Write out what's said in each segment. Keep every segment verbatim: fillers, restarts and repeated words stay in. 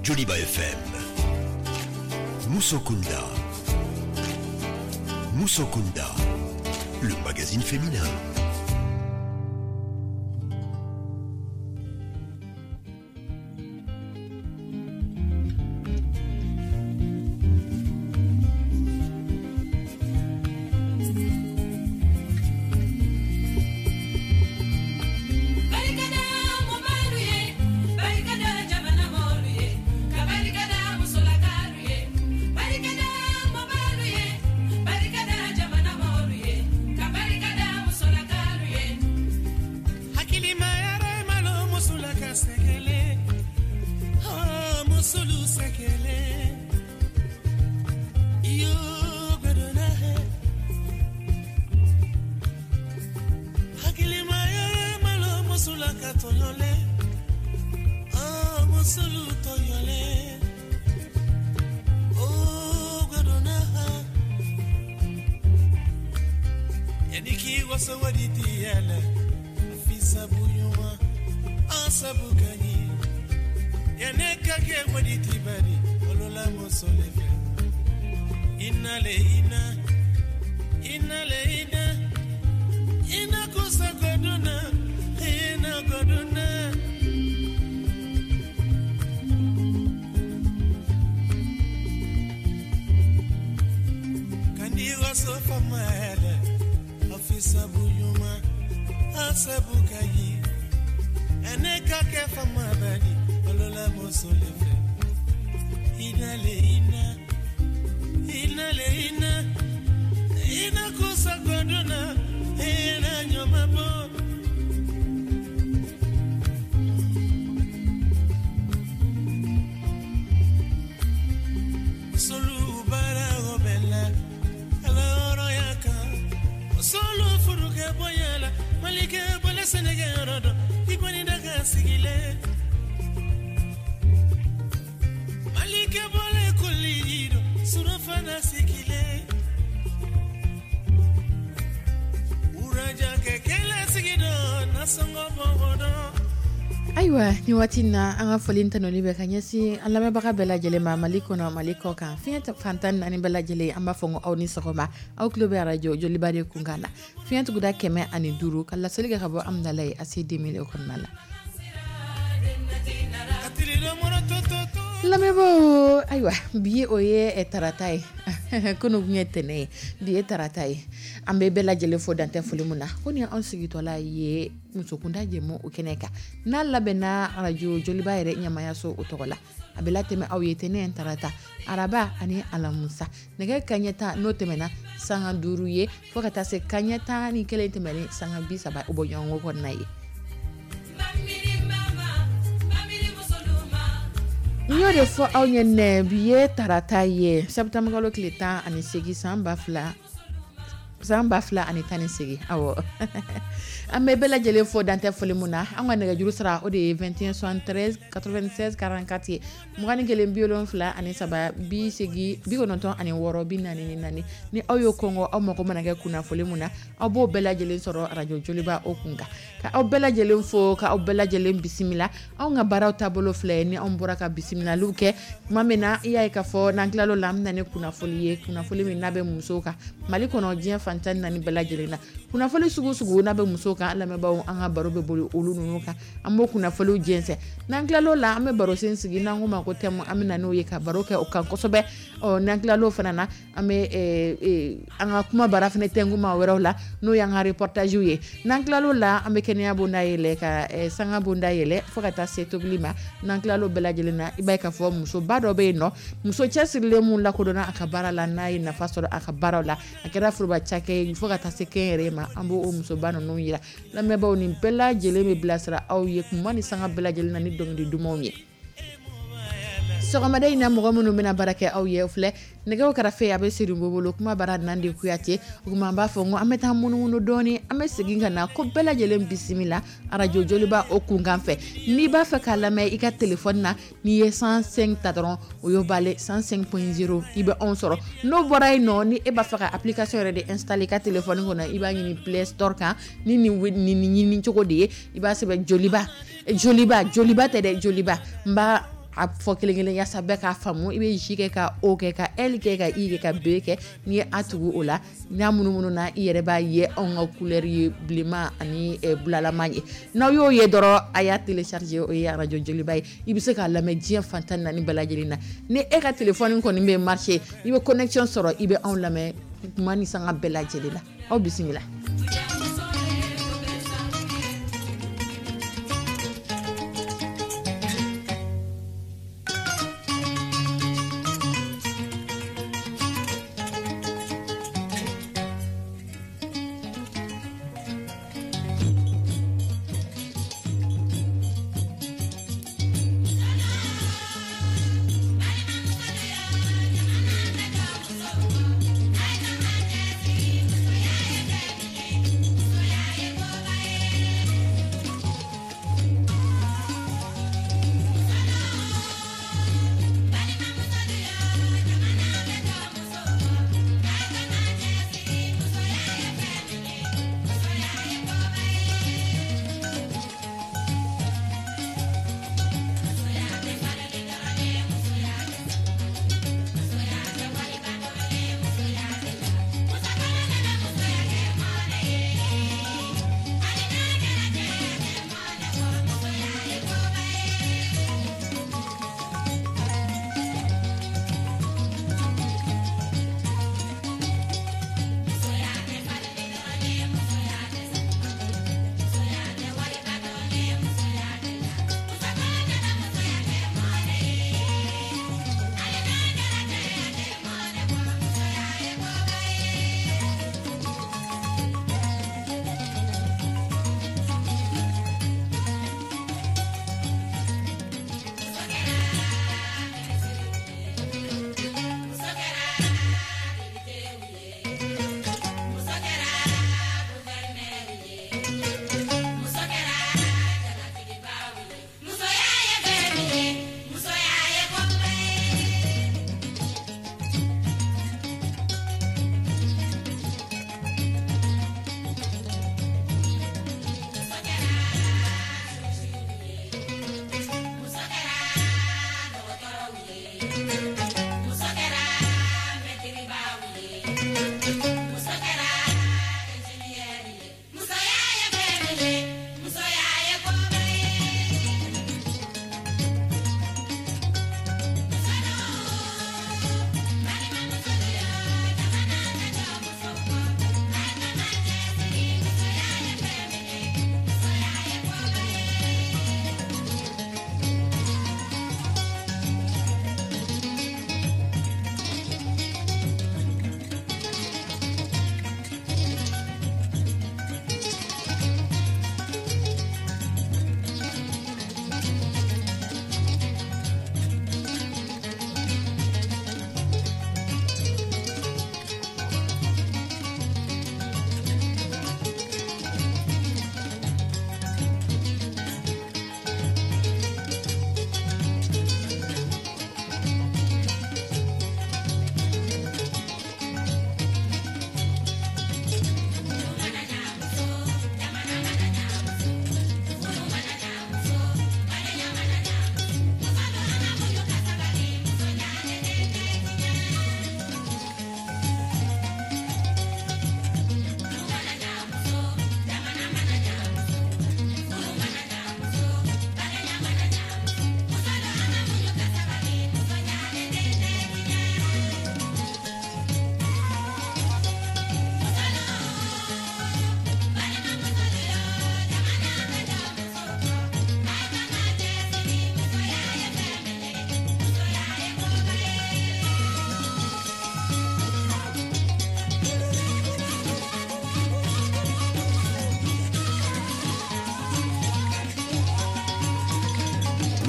Joliba F M. Musokunda. Musokunda, le magazine féminin. Ayiwa, ni waati na, an ka foli tanuni bɛ ka ɲɛsin an lamɛnbaga bɛɛ lajɛlen ma, Mali kɔnɔ, Mali kɔ kan, fiɲɛ fantan naani bɛɛ lajɛlen. An b'a fɔ ko aw ni sɔgɔma. Aw tulo bɛ arajo Joliba de kunkan na, fiɲɛ tuguda kɛmɛ ani duuru, ka laseli kɛ ka bɔ Amudalayi A C deux mille kɔnɔna la. Lamɛnbaaw, ayiwa, bi o ye tarata ye. Kunun tun ye tɛnɛ ye, bi ye tarata ye. An bɛ bɛɛ lajɛlen fo dantɛ foli min na. Ko ni anw sigitɔla ye musokunda jɛmu o kɛnɛ kan, n'a labɛnna arajo Joliba yɛrɛ ɲɛmayaso o tɔgɔ la, a bɛ latɛmɛ aw ye tɛnɛ, tarata, araba ani alamusa, nɛgɛ kaɲɛ tan n'o tɛmɛna sanga duuru ye, fo ka taa se kaɲɛ tan ni kelen tɛmɛnen sanga bi saba o bɔ ɲɔgɔn kɔnɔna ye. N y'o de fɔ aw ɲɛ nɛ, bi ye tarata ye, sɛtanburukalo tile tan ani seegin, san ba fila san ba fila ani tan ni segin. Awɔ, an bɛ bɛɛ lajɛlen fo dantɛ foli mun na. An ka nɛgɛjuru sira, o de ye vingt et un soixante-treize quatre-vingt-seize quarante-quatre ye, mugan ni kelen bi wolonfila ani saba bi segin bi kɔnɔntɔn ani wɔɔrɔ bi naani ni naani. Ni aw y'o kɔngɔ, aw mago mana kɛ kunnafoli mun na, aw b'o bɛɛ lajɛlen sɔrɔ arajo Joliba o kun kan. Ka aw bɛɛ lajɛlen fo, ka aw bɛɛ lajɛlen bisimila. Anw ka baaraw taabolo filɛ. Ni anw bɔra ka bisimilaliw kɛ tuma min na, i y'a ye k'a fɔ n'an tilal'o la, an bɛ na ni kunnafoli ye, kunnafoli min n'a bɛ musow kan, Mali kɔnɔ, diɲɛ fan tan ni naani bɛɛ lajɛlen na. Kunnafoli sugu sugu n'a bɛ musow kan, an lamɛnbaaw, an ka baro bɛ boli olu ninnu kan. An b'o kunnafoliw jɛnsɛn. N'an tilal'o la, an bɛ barosen sigi n'an ko ma ko thème. An bɛ na n'o ye ka baro kɛ o kan kosɛbɛ. Ɔ, n'an tilal'o fana na, an bɛ an ka kuma bara fana tɛnku maa wɛrɛw la, n'o y'an ka reportage ye. N'an tilal'o la, an bɛ kɛnɛya bonda yɛlɛ, ka sanga bonda yɛlɛ, fo ka taa se tobili ma. N'an tilal'o bɛɛ lajɛlen na, i b'a ye k'a fɔ musoba dɔ bɛ yen nɔ, muso cɛsirilen mun lakodɔnna a ka baara la, n'a ye nafa sɔrɔ a ka baaraw la, a kɛra foroba cakɛ ye fo ka taa se kɛnyɛrɛye ma, an b'o musoba ninnu yira. Lamɛnbaaw, nin bɛɛ lajɛlen bɛ bilasira aw ye kuma ni sanga bɛɛ lajɛlen na ni dɔnkili dumanw ye. Sɔgɔmada in na, mɔgɔ minnu bɛna baara kɛ aw ye filɛ, nɛgɛw kɛrɛfɛ a bɛ Siribo bolo, kuma bara Nande Kuyate. O tuma an b'a fɔ ko an bɛ taa munumunu dɔɔni, an bɛ segin ka na. Ko bɛɛ lajɛlen bisimila arajo Joliba o kunkan fɛ. N'i b'a fɛ k'a lamɛn i ka téléphone na, n'i ye cent cinq ta dɔrɔn, o y'o bale, cent cinq point zéro, i bɛ anw sɔrɔ. N'o bɔra yen nɔ, ni e b'a fɛ ka application yɛrɛ de installer i ka téléphone kɔnɔ, i b'a ɲini Play Store kan ni nin nin ɲini cogo de ye. I b'a sɛbɛn Joliba, Joliba, Joliba tɛ dɛ, Joliba. N b'a A fɔ kelen kelen yaasa bɛɛ k'a faamu. I bɛ J kɛ ka O kɛ ka L kɛ ka I kɛ ka B kɛ. N'i ye A tugu o la, n'a munumunu na, i yɛrɛ b'a ye anw ka couleur ye bilenman ani bulalama ye. N'aw y'o ye dɔrɔn, a y'a télécharger, o ye radio Joliba ye. I bɛ se k'a lamɛn diɲɛ fan tan naani bɛɛ lajɛlen na. Ni e ka téléphone kɔni bɛ marcher, i bɛ connexion sɔrɔ, i bɛ anw lamɛn tuma ni sanga bɛɛ lajɛlen la. Aw bisimila.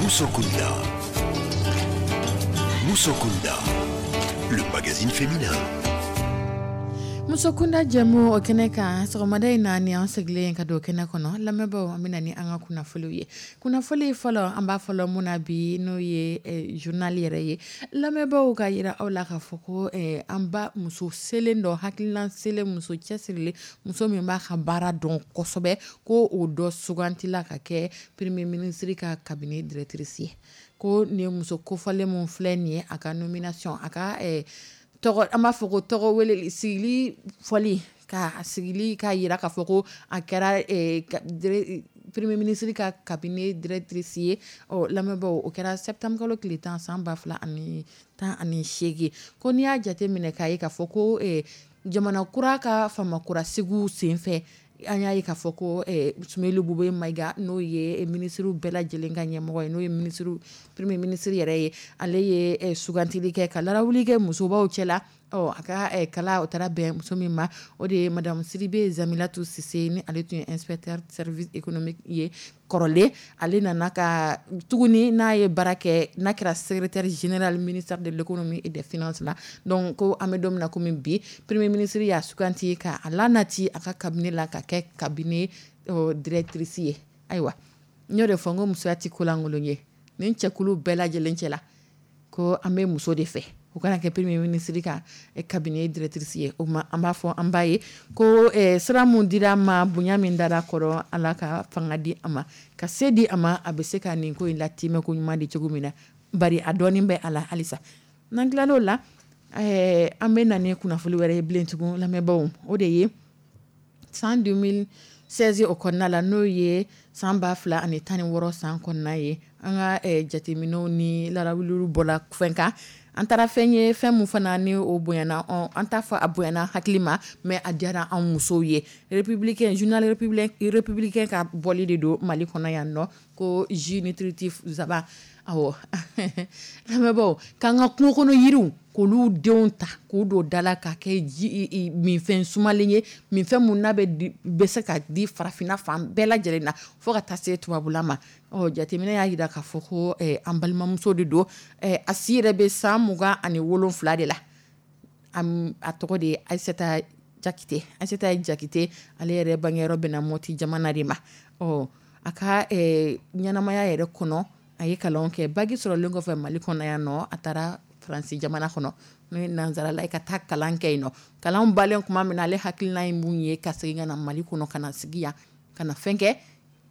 Musokunda. Musokunda, le magazine féminin. Musokunda jɛmu o kɛnɛ kan, sɔgɔmada in na, ni an sigilen ka don kɛnɛ kɔnɔ, lamɛnbaaw, an bɛ na ni an ka kunnafoniw ye. Kunnafoni fɔlɔ, an b'a fɔlɔ mun na bi, n'o ye journal yɛrɛ ye, lamɛnbaaw, ka yira aw la k'a fɔ ko an ba muso selen dɔ, hakilina selen, muso cɛsirilen, muso min b'a ka baara dɔn kosɛbɛ, ko o dɔ sugantila ka kɛ premier ministre ka cabinet directrice ye. Ko nin muso kofɔlen min filɛ nin ye, a ka nomination, a ka tɔgɔ, an b'a fɔ ko tɔgɔ wele sigili fɔli, ka sigili ka yira k'a fɔ ko a kɛra premier ministre ka cabinet directrice ye, ɔ lamɛnbaaw, o kɛra septembre kalo tile tan, san ba fila ani tan ani seegin. Ko n'i y'a jate minɛ k'a ye k'a fɔ ko jamana kura ka famakura sigiw senfɛ, an y'a ye k'a fɔ ko Soumeylou Boubèye Maïga, n'o ye minisiriw bɛɛ lajɛlen ka ɲɛmɔgɔ ye, n'o ye ministre premier ministre yɛrɛ ye, ale ye sugantili kɛ ka larawuli kɛ musobaw cɛla. Ɔ a ka kala, o taara bɛn muso min ma, o de ye madame Sidibe Zamilatu Sise, ni ale tun ye inspecteur service économique ye kɔrɔlen. Ale nana ka tuguni n'a ye baara kɛ, n'a kɛra secrétaire général ministère de l'économie et des finances la. Donc ko an bɛ don min na komi bi, premier ministre y'a suganti ka a lanati a ka cabinet la ka kɛ cabinet directrice ye. Ayiwa, n y'o de fɔ n ko musoya tɛ kolankolon ye. Nin cɛkulu bɛɛ lajɛlen cɛ la, ko an bɛ muso de fɛ o kana kɛ premier ministre ka cabinet directrice ye. O ma, an b'a fɔ an b'a ye ko sira mun dira a ma, bonya min dara kɔrɔ, Ala ka fanga di a ma, ka se di a ma, a bɛ se ka nin ko in latimɛ ko ɲuman di cogo min na, bari a dɔɔnin bɛ a la halisa. N'an tilal'o la, an bɛ na ni kunnafoni wɛrɛ ye bilen tugun, lamɛnbaaw. O de ye san deux mille seize o kɔnɔna la, n'o ye san ba fila ani tan ni wɔɔrɔ san kɔnɔna ye, an ka jateminɛw ni larawuliw bɔla fɛn kan. An taara fɛn ye, fɛn min fana ni o bonyana, an t'a fɔ a bonyana hakili ma, mais a diyara an musow ye. Républicain, journal Républicain ka bɔli de don Mali kɔnɔ yan nɔ, ko jus nutritif zaban. Awɔ, lamɛnbaaw, k'an ka kungo kɔnɔ yiriw, k'olu denw ta k'u don da la ka kɛ ji minfɛn sumalen ye, minfɛn mun n'a bɛ bɛ se ka di farafinna fan bɛɛ lajɛlen na fo ka taa se tubabula ma. Ɔ jateminɛ y'a jira k'a fɔ ko an balimamuso de don, a si yɛrɛ bɛ san mugan ani wolonfila de la. A tɔgɔ de ye Ayisata Jakite. Ayisata Jakite, ale yɛrɛ bangeyɔrɔ bɛnna Mɔti jamana de ma. Ɔ a ka ɲɛnamaya yɛrɛ kɔnɔ, a ye kalan kɛ. Bac sɔrɔlen kɔfɛ Mali kɔnɔ yan nɔ, a taara Faransi jamana kɔnɔ, n'o ye nansarala ye, ka taa kalan kɛ yen nɔ. Kalan balen tuma min na, ale hakilina ye mun ye? Ka segin ka na Mali kɔnɔ, ka na sigi yan, ka na fɛn kɛ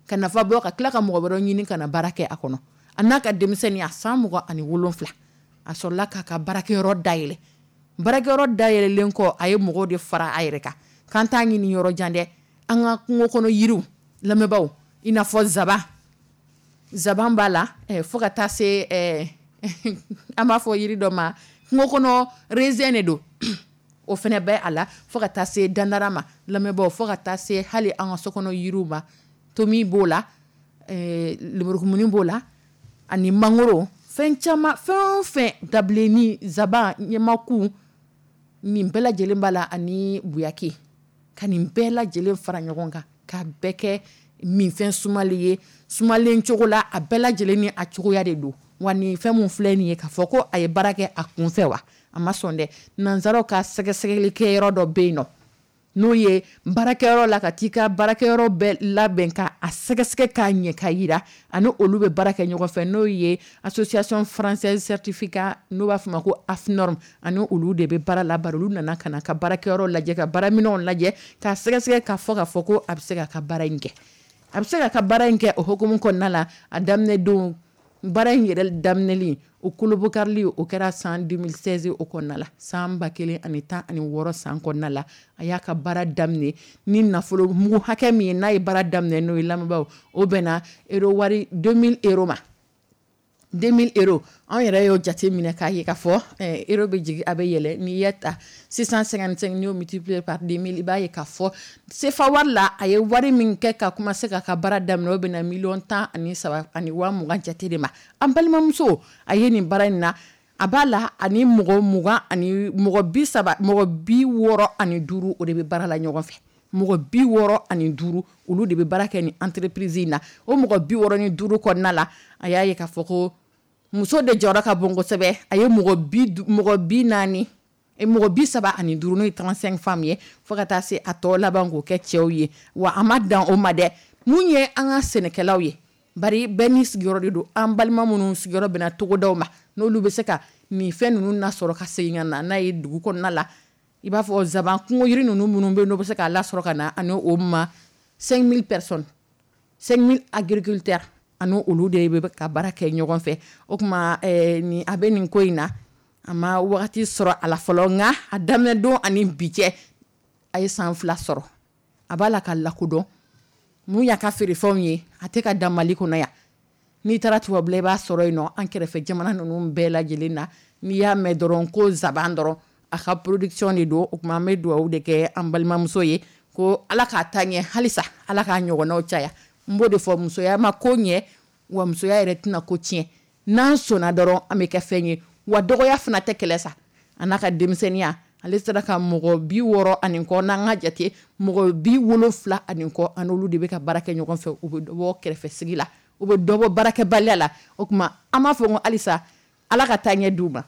ka nafa bɔ, ka tila ka mɔgɔ wɛrɛ ɲini ka na baara kɛ a kɔnɔ. A n'a ka denmisɛnninya, san mugan ani wolonfila, a sɔrɔla k'a ka baarakɛyɔrɔ dayɛlɛ. Baarakɛyɔrɔ dayɛlɛlen kɔ, a ye mɔgɔw de fara a yɛrɛ kan, k'an t'a ɲini yɔrɔ jan dɛ, an ka kungo kɔnɔ yiriw, lamɛnbaaw, i n'a fɔ zaban, zaban b'a la, fo ka taa se an b'a fɔ yiri dɔ ma kungo kɔnɔ, raisin de don, o fana bɛ a la, fo ka taa se dandara ma, lamɛnbaaw, fo ka taa se hali an ka sokɔnɔ yiriw ma, tomi b'o la, lemurukumuni b'o la, ani mangoro, fɛn caman, fɛn o fɛn, dabilenni, zaban, ɲamaku, nin bɛɛ lajɛlen b'a la, ani buyaki, ka nin bɛɛ lajɛlen fara ɲɔgɔn kan k'a bɛɛ kɛ minfɛn sumalen ye, sumalen cogo la, a bɛɛ lajɛlen ni a cogoya de don. Wa nin fɛn mun filɛ nin ye, k'a fɔ ko a ye baara kɛ a kun fɛ wa, a ma sɔn dɛ. Nanzaraw ka sɛgɛsɛgɛli kɛyɔrɔ dɔ bɛ yen nɔ, n'o ye baarakɛyɔrɔ la, ka t'i ka baarakɛyɔrɔ bɛɛ labɛn ka a sɛgɛsɛgɛ k'a ɲɛ ka yira, ani olu bɛ baara kɛ ɲɔgɔn fɛ, n'o ye Association française certificat, n'o b'a fɔ ma ko AFNORM, ani olu de bɛ baara la. Bari olu nana ka na ka baarakɛyɔrɔ lajɛ, ka baaraminɛnw lajɛ, k'a sɛgɛsɛgɛ, k'a fɔ k'a fɔ ko a bɛ se k'a ka baara in kɛ, a bɛ se k'a ka baara in kɛ. O hukumu kɔnɔna la, a daminɛ don, baara in yɛrɛ daminɛli, o kolobokarili, o kɛra san deux mille seize o kɔnɔna la, san ba kelen ani tan ani wɔɔrɔ san kɔnɔna la. A y'a ka baara daminɛ ni nafolo mugu hakɛ min ye, n'a ye baara daminɛ n'o ye, lamɛnbaaw, o bɛnna euro wari deux mille euros ma. deux mille euros, anw yɛrɛ y'o jate minɛ k'a ye k'a fɔ euro bɛ jigin, a bɛ yɛlɛ. N'i y'a ta six cent cinquante-cinq, n'i y'o multiplier par deux mille, i b'a ye k'a fɔ C F A wari la, a ye wari min kɛ ka commencer k'a ka baara daminɛ, o bɛnna miliyɔn tan ani saba ani waa mugan jate de ma. An balimamuso, a ye nin baara in na, a b'a la ani mɔgɔ mugan ani mɔgɔ bi saba, mɔgɔ bi wɔɔrɔ ani duuru, o de bɛ baara la ɲɔgɔn fɛ. Mɔgɔ bi wɔɔrɔ ani duuru, olu de bɛ baara kɛ ni entreprise in na. O mɔgɔ bi wɔɔrɔ ni duuru kɔnɔna la, a y'a ye k'a fɔ ko muso de jɔyɔrɔ ka bon kosɛbɛ. A ye mɔgɔ bi mɔgɔ bi naani Mɔgɔ bi saba ani duuru, n'o ye trente-cinq femmes ye, fo ka taa se a tɔ laban k'o kɛ cɛw ye. Wa a ma dan o ma dɛ, mun ye an ka sɛnɛkɛlaw ye, bari bɛɛ n'i sigiyɔrɔ de don. An balima minnu sigiyɔrɔ bɛnna togodaw ma, n'olu bɛ se ka nin fɛn ninnu nasɔrɔ ka segin ka na n'a ye dugu kɔnɔna la, i b'a fɔ zaban kungo yiri ninnu minnu bɛ yen, n'o bɛ se k'a lasɔrɔ ka na, ani o ma cinq mille personnes, cinq mille agriculteurs, ani olu de bɛ ka baara kɛ ɲɔgɔn fɛ. O tuma ni a bɛ nin ko in na, a ma wagati sɔrɔ a la fɔlɔ, nka a daminɛ don ani bi cɛ, a ye san fila sɔrɔ. A b'a la ka lakodɔn mun y'a ka feerefɛnw ye. A tɛ ka dan Mali kɔnɔ yan, n'i taara tubabula, i b'a sɔrɔ yen nɔ. An kɛrɛfɛ jamana ninnu bɛɛ lajɛlen na, n'i y'a mɛn dɔrɔn ko zaban dɔrɔn, a ka production de don. O tuma an bɛ dugawu de kɛ an balimamuso ye ko Ala k'a taa ɲɛ halisa, Ala k'a ɲɔgɔnnaw caya. N b'o de fɔ, musoya ma ko ɲɛ, wa musoya yɛrɛ tɛna ko tiɲɛ. N'an sɔnna dɔrɔn, an bɛ kɛ fɛn ye. Wa dɔgɔya fana tɛ kɛlɛ sa. A n'a ka denmisɛnninya, ale sera ka mɔgɔ bi wɔɔrɔ ani kɔ, n'an ka jate mɔgɔ bi wolonfila ani kɔ, an n'olu de bɛ ka baara kɛ ɲɔgɔn fɛ. U bɛ dɔbɔ kɛrɛfɛ sigi la, u bɛ dɔbɔ baarakɛbaliya la. O tuma an b'a fɔ ko halisa Ala ka taa ɲɛ d'u ma.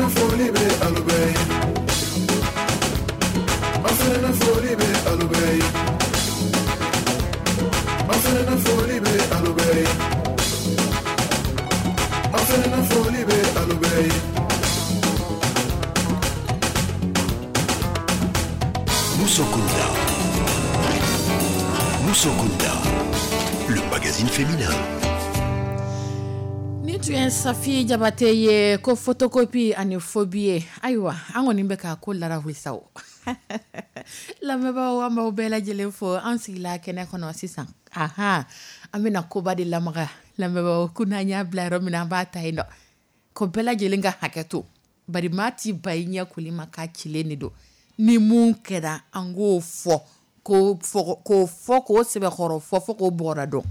Fana foli bɛ alu bɛɛ ye. An fana foli bɛ alu bɛɛ ye. An fana foli bɛ alu bɛɛ ye. An fana foli bɛ alu bɛɛ ye. Musokunda. Musokunda, le magazine féminin. Ni tun ye Safi Jabate ye ko photocopie ani phobie. Ayiwa, an kɔni bɛ ka ko larawuli sa o. Lamɛnbaaw, an b'aw bɛɛ lajɛlen fo. An sigila kɛnɛ kɔnɔ sisan, ahan, an bɛna koba de lamaga. Lamɛnbaaw, ko n'an y'a bila yɔrɔ min na, an b'a ta yen nɔ. Ko bɛɛ lajɛlen ka hakɛ to, bari maa t'i ba i ɲɛ koli ma k'a cilen de don. Ni mun kɛra, an k'o fɔ, k'o fɔ, k'o fɔ, k'o sɛbɛkɔrɔ fɔ, fo k'o bɔgɔra dɔn.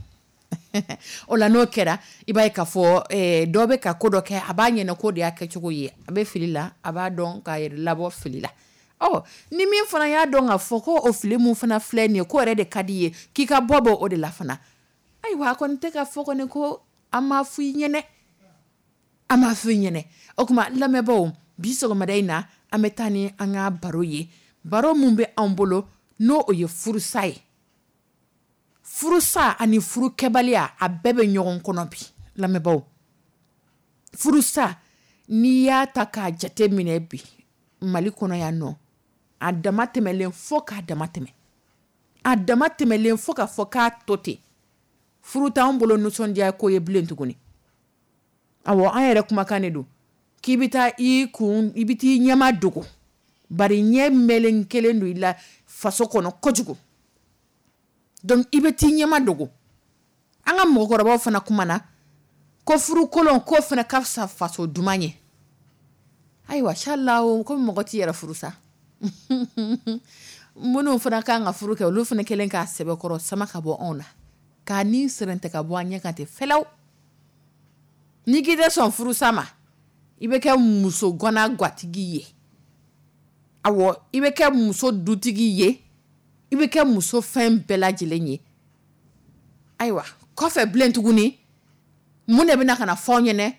O la, n'o kɛra, i b'a ye k'a fɔ eh, dɔ bɛ ka ko dɔ kɛ, a b'a ɲɛna k'o de y'a kɛcogo ye, a bɛ fili la, a b'a dɔn k'a yɛrɛ labɔ fili la. Ɔ, ni min fana y'a dɔn k'a fɔ ko o fili mun fana filɛ nin ye, k'o yɛrɛ de ka di ye, k'i ka bɔ bɔ o de la fana. Ayiwa, a kɔni tɛ ka fɔ kɔni ko an m'a fɔ i ɲɛnɛ, an m'a fɔ i ɲɛnɛ. O tuma, lamɛnbaaw, bi sɔgɔmada in na, an bɛ taa ni an ka baro ye, baro mun bɛ anw bolo, n'o o ye furusa ye. Furusa ani furukɛbaliya, a bɛɛ bɛ ɲɔgɔn kɔnɔ bi. Lamɛnbaaw, furusa, n'i y'a ta k'a jate minɛ bi Mali kɔnɔ yan nɔ, a dama tɛmɛlen fo k'a dama tɛmɛ, a dama tɛmɛlen fo k'a fɔ k'a to ten. Furu t'anw bolo nisɔndiya ko ye bilen tuguni. Awɔ, an yɛrɛ kumakan de don k'i bɛ taa i kun, i bɛ t'i ɲɛma dogo, bari ɲɛ mɛlen kelen don i la faso kɔnɔ kojugu. Donc i bɛ t'i ɲɛma dogo. An ka mɔgɔkɔrɔbaw fana kumana ko furu kolon k'o fana ka fisa faso duman ye. Ayiwa, sala ko mɔgɔ t'i yɛrɛ furu sa. Minnu fana kan ka furu kɛ, olu fana kɛlen k'a sɛbɛkɔrɔ sama ka bɔ anw na, k'a ni sɛrɛntɛ ka bɔ an ɲɛ kan ten fɛlɛw. N'i k'i tɛ sɔn furusa ma, i bɛ kɛ muso gana gatigi ye. Awɔ, i bɛ kɛ muso dutigi ye, i bɛ kɛ muso fɛn bɛɛ lajɛlen ye. Ayiwa, kɔfɛ bilen tuguni, mun de bɛna ka na fɔ aw ɲɛnɛ?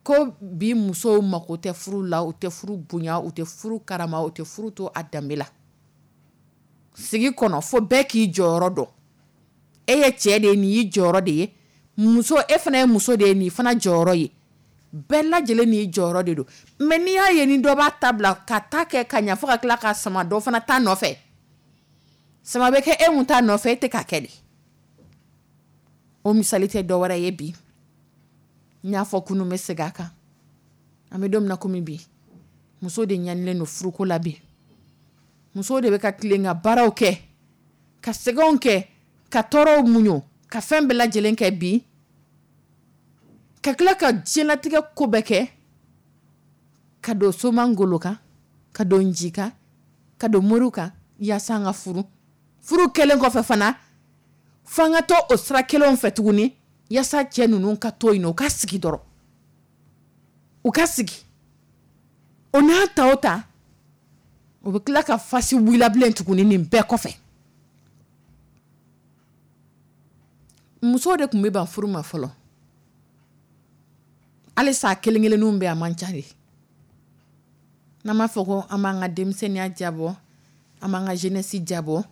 Ko bi musow mako tɛ furu la, u tɛ furu bonya, u tɛ furu karama, u tɛ furu to a danbe la. Sigi kɔnɔ, fo bɛɛ k'i jɔyɔrɔ dɔn. E ye cɛ de ye, nin y'i jɔyɔrɔ de ye. Muso, e fana ye muso de ye, nin fana jɔyɔrɔ ye. Bɛɛ lajɛlen n'i jɔyɔrɔ de don. Mɛ n'i y'a ye ni dɔ b'a ta bila ka ta kɛ ka ɲɛ, fo ka tila ka sama dɔ fana ta nɔfɛ, sama bɛ kɛ e mun ta nɔfɛ, e tɛ k'a kɛ de. O misali tɛ dɔ wɛrɛ ye bi, n y'a fɔ kunun, bɛ segin a kan. An bɛ don min na komi bi, muso de ɲanilen don furuko la bi. Muso de bɛ ka tilen ka baaraw kɛ, ka sɛgɛnw kɛ, ka tɔɔrɔw muɲu, ka fɛn bɛɛ lajɛlen kɛ bi, ka tila ka diɲɛlatigɛ ko bɛɛ kɛ, ka don soma ngolo kan, ka don nji kan, ka don moriw kan, yaasa an ka furu. Furu kɛlen kɔfɛ fana, f'an ka to o sira kelenw fɛ tuguni, yaasa cɛ ninnu ka to yen nɔ, u ka sigi dɔrɔn, u ka sigi. O n'a ta o ta, o bɛ tila ka fasi wula bilen tuguni. Nin bɛɛ kɔfɛ, musow de tun bɛ ban furu ma fɔlɔ. Halisa kelen kelenninw bɛ, a man ca de. N'an b'a fɔ ko an b'an ka denmisɛnninya jabɔ, an b'an ka jeunesse jabɔ,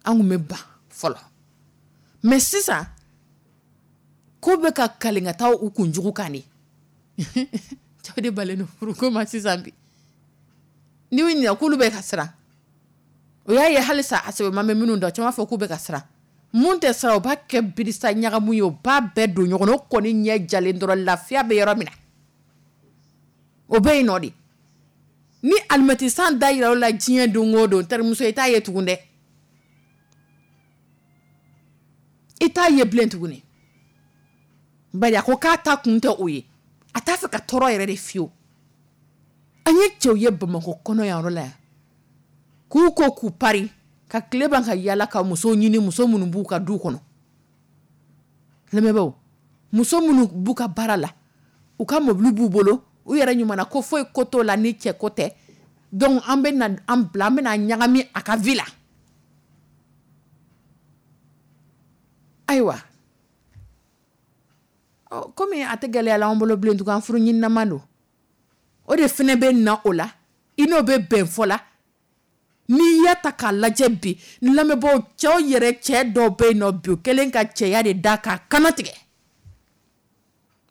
an tun bɛ ban fɔlɔ. Mais sisan, ko bɛ ka kalen ka taa u kunjugu kan de. Cɛw de balen don furuko ma sisan bi. N'i y'u ɲininka k'olu bɛ ka siran, o y'a ye halisa a sɛbɛman bɛ minnu dɔn, caman b'a fɔ k'u bɛ ka siran. Mun tɛ siran, o b'a kɛ birisa ɲagamu ye, o b'a bɛɛ don ɲɔgɔn na. O kɔni ɲɛ jalen dɔrɔn, lafiya bɛ yɔrɔ min na, o bɛ yen nɔ de. Ni alimɛti san da yira o la diɲɛ don o don, terimuso, i t'a ye tugun dɛ, i t'a ye bilen tuguni. Bari a ko k'a ta kun tɛ o ye, a t'a fɛ ka tɔɔrɔ yɛrɛ de fiyewu. An ye cɛw ye Bamakɔ kɔnɔ yan yɔrɔ la yan, k'u ko k'u pari ka tile ban ka yala ka musow ɲini, muso minnu b'u ka du kɔnɔ. Lamɛnbaaw, muso minnu b'u ka baara la, u ka mobili b'u bolo, u yɛrɛ ɲuman na, ko foyi ko t'o la ni cɛ ko tɛ. Donc an bɛ na an bila, an bɛ na ɲagami a ka vie la. Ayiwa, komi a tɛ gɛlɛya la an bolo bilen tugun, an furu ɲininama don. O de fana bɛ na o la, i n'o bɛ bɛn fɔ la. N'i y'a ta k'a lajɛ bi, lamɛnbaaw, cɛw yɛrɛ, cɛ dɔw bɛ yen nɔ bi, o kɛlen ka cɛya de da k'a kana tigɛ.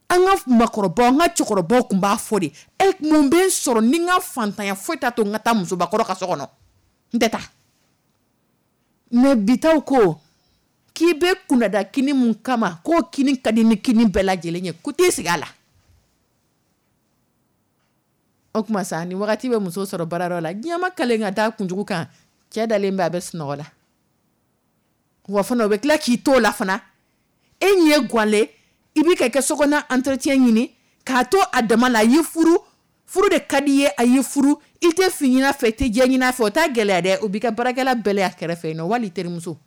An ka makɔrɔbaw, an ka cɛkɔrɔbaw tun b'a fɔ de: e, mun bɛ n sɔrɔ ni n ka fantanya foyi t'a to n ka taa musobakɔrɔ ka so kɔnɔ, n tɛ taa. Mais bitaw ko k'i bɛ kunnada kini mun kama, k'o kini ka di ni kini bɛɛ lajɛlen ye, ko t'i sigi a la. O tuma sa, ni wagati bɛ muso sɔrɔ baarayɔrɔ la, diɲɛ ma kalen ka taa kunjugu kan, cɛ dalen bɛ, a bɛ sunɔgɔ la. Wa fana, o bɛ tila k'i to o la fana, e ɲɛ ganlen, i bɛ ka kɛ sokɔnɔ entretien ɲini k'a to a dama la. A y'i furu, furu de ka di i ye, a y'i furu, i tɛ fin ɲini a fɛ, i tɛ jɛ ɲini a fɛ. O t'a gɛlɛya dɛ, o b'i ka baarakɛla bɛlɛ a kɛrɛfɛ yen nɔ, wali terimuso,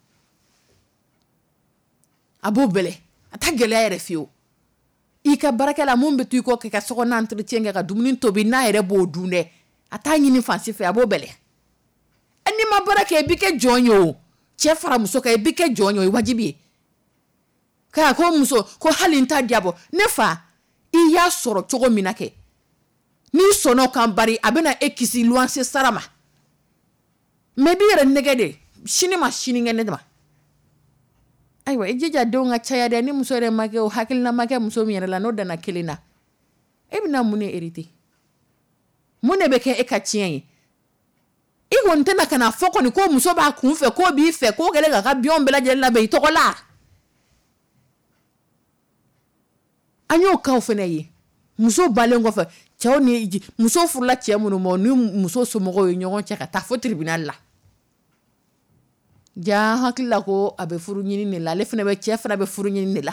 a b'o bɛlɛ, a t'a gɛlɛya yɛrɛ fiyewu. I ka baarakɛla mun bɛ to i kɔ k'i ka sokɔnɔ entretien kɛ, ka dumuni tobi, n'a yɛrɛ b'o dun dɛ, a t'a ɲini fan si fɛ, a b'o bɛlɛ. N'i ma baara kɛ, i b'i kɛ jɔn ye. O cɛ fara muso kan, i b'i kɛ jɔn ye, o ye wajibi ye. K'a ko muso ko hali n ta diya bɔ ne fa, i y'a sɔrɔ cogo min na kɛ, n'i sɔnna o kan, bari a bɛna e kisi luwanse sara ma. Mais i b'i yɛrɛ nɛgɛ de sini ma, sinikɛnɛ ma. Ayiwa, i jija denw ka caya dɛ. Ni muso yɛrɛ ma kɛ, o hakilina ma kɛ muso min yɛrɛ la, n'o danna kelen na, e bɛna mun de hériter? Mun de bɛ kɛ e ka tiɲɛ ye? I kɔni tɛna ka na fɔ kɔni ko muso b'a kun fɛ, k'o b'i fɛ, k'o kɛlen k'a ka biens bɛɛ lajɛlen labɛn i tɔgɔ la. An y'o cas fana ye. Muso balen kɔfɛ, cɛw ni muso furula cɛ minnu ma, ni muso somɔgɔw ye ɲɔgɔn cɛ ka taa fo tribunal la. Ja hakili la ko a bɛ furu ɲini de la, ale fana bɛ, cɛ fana bɛ furu ɲini de la.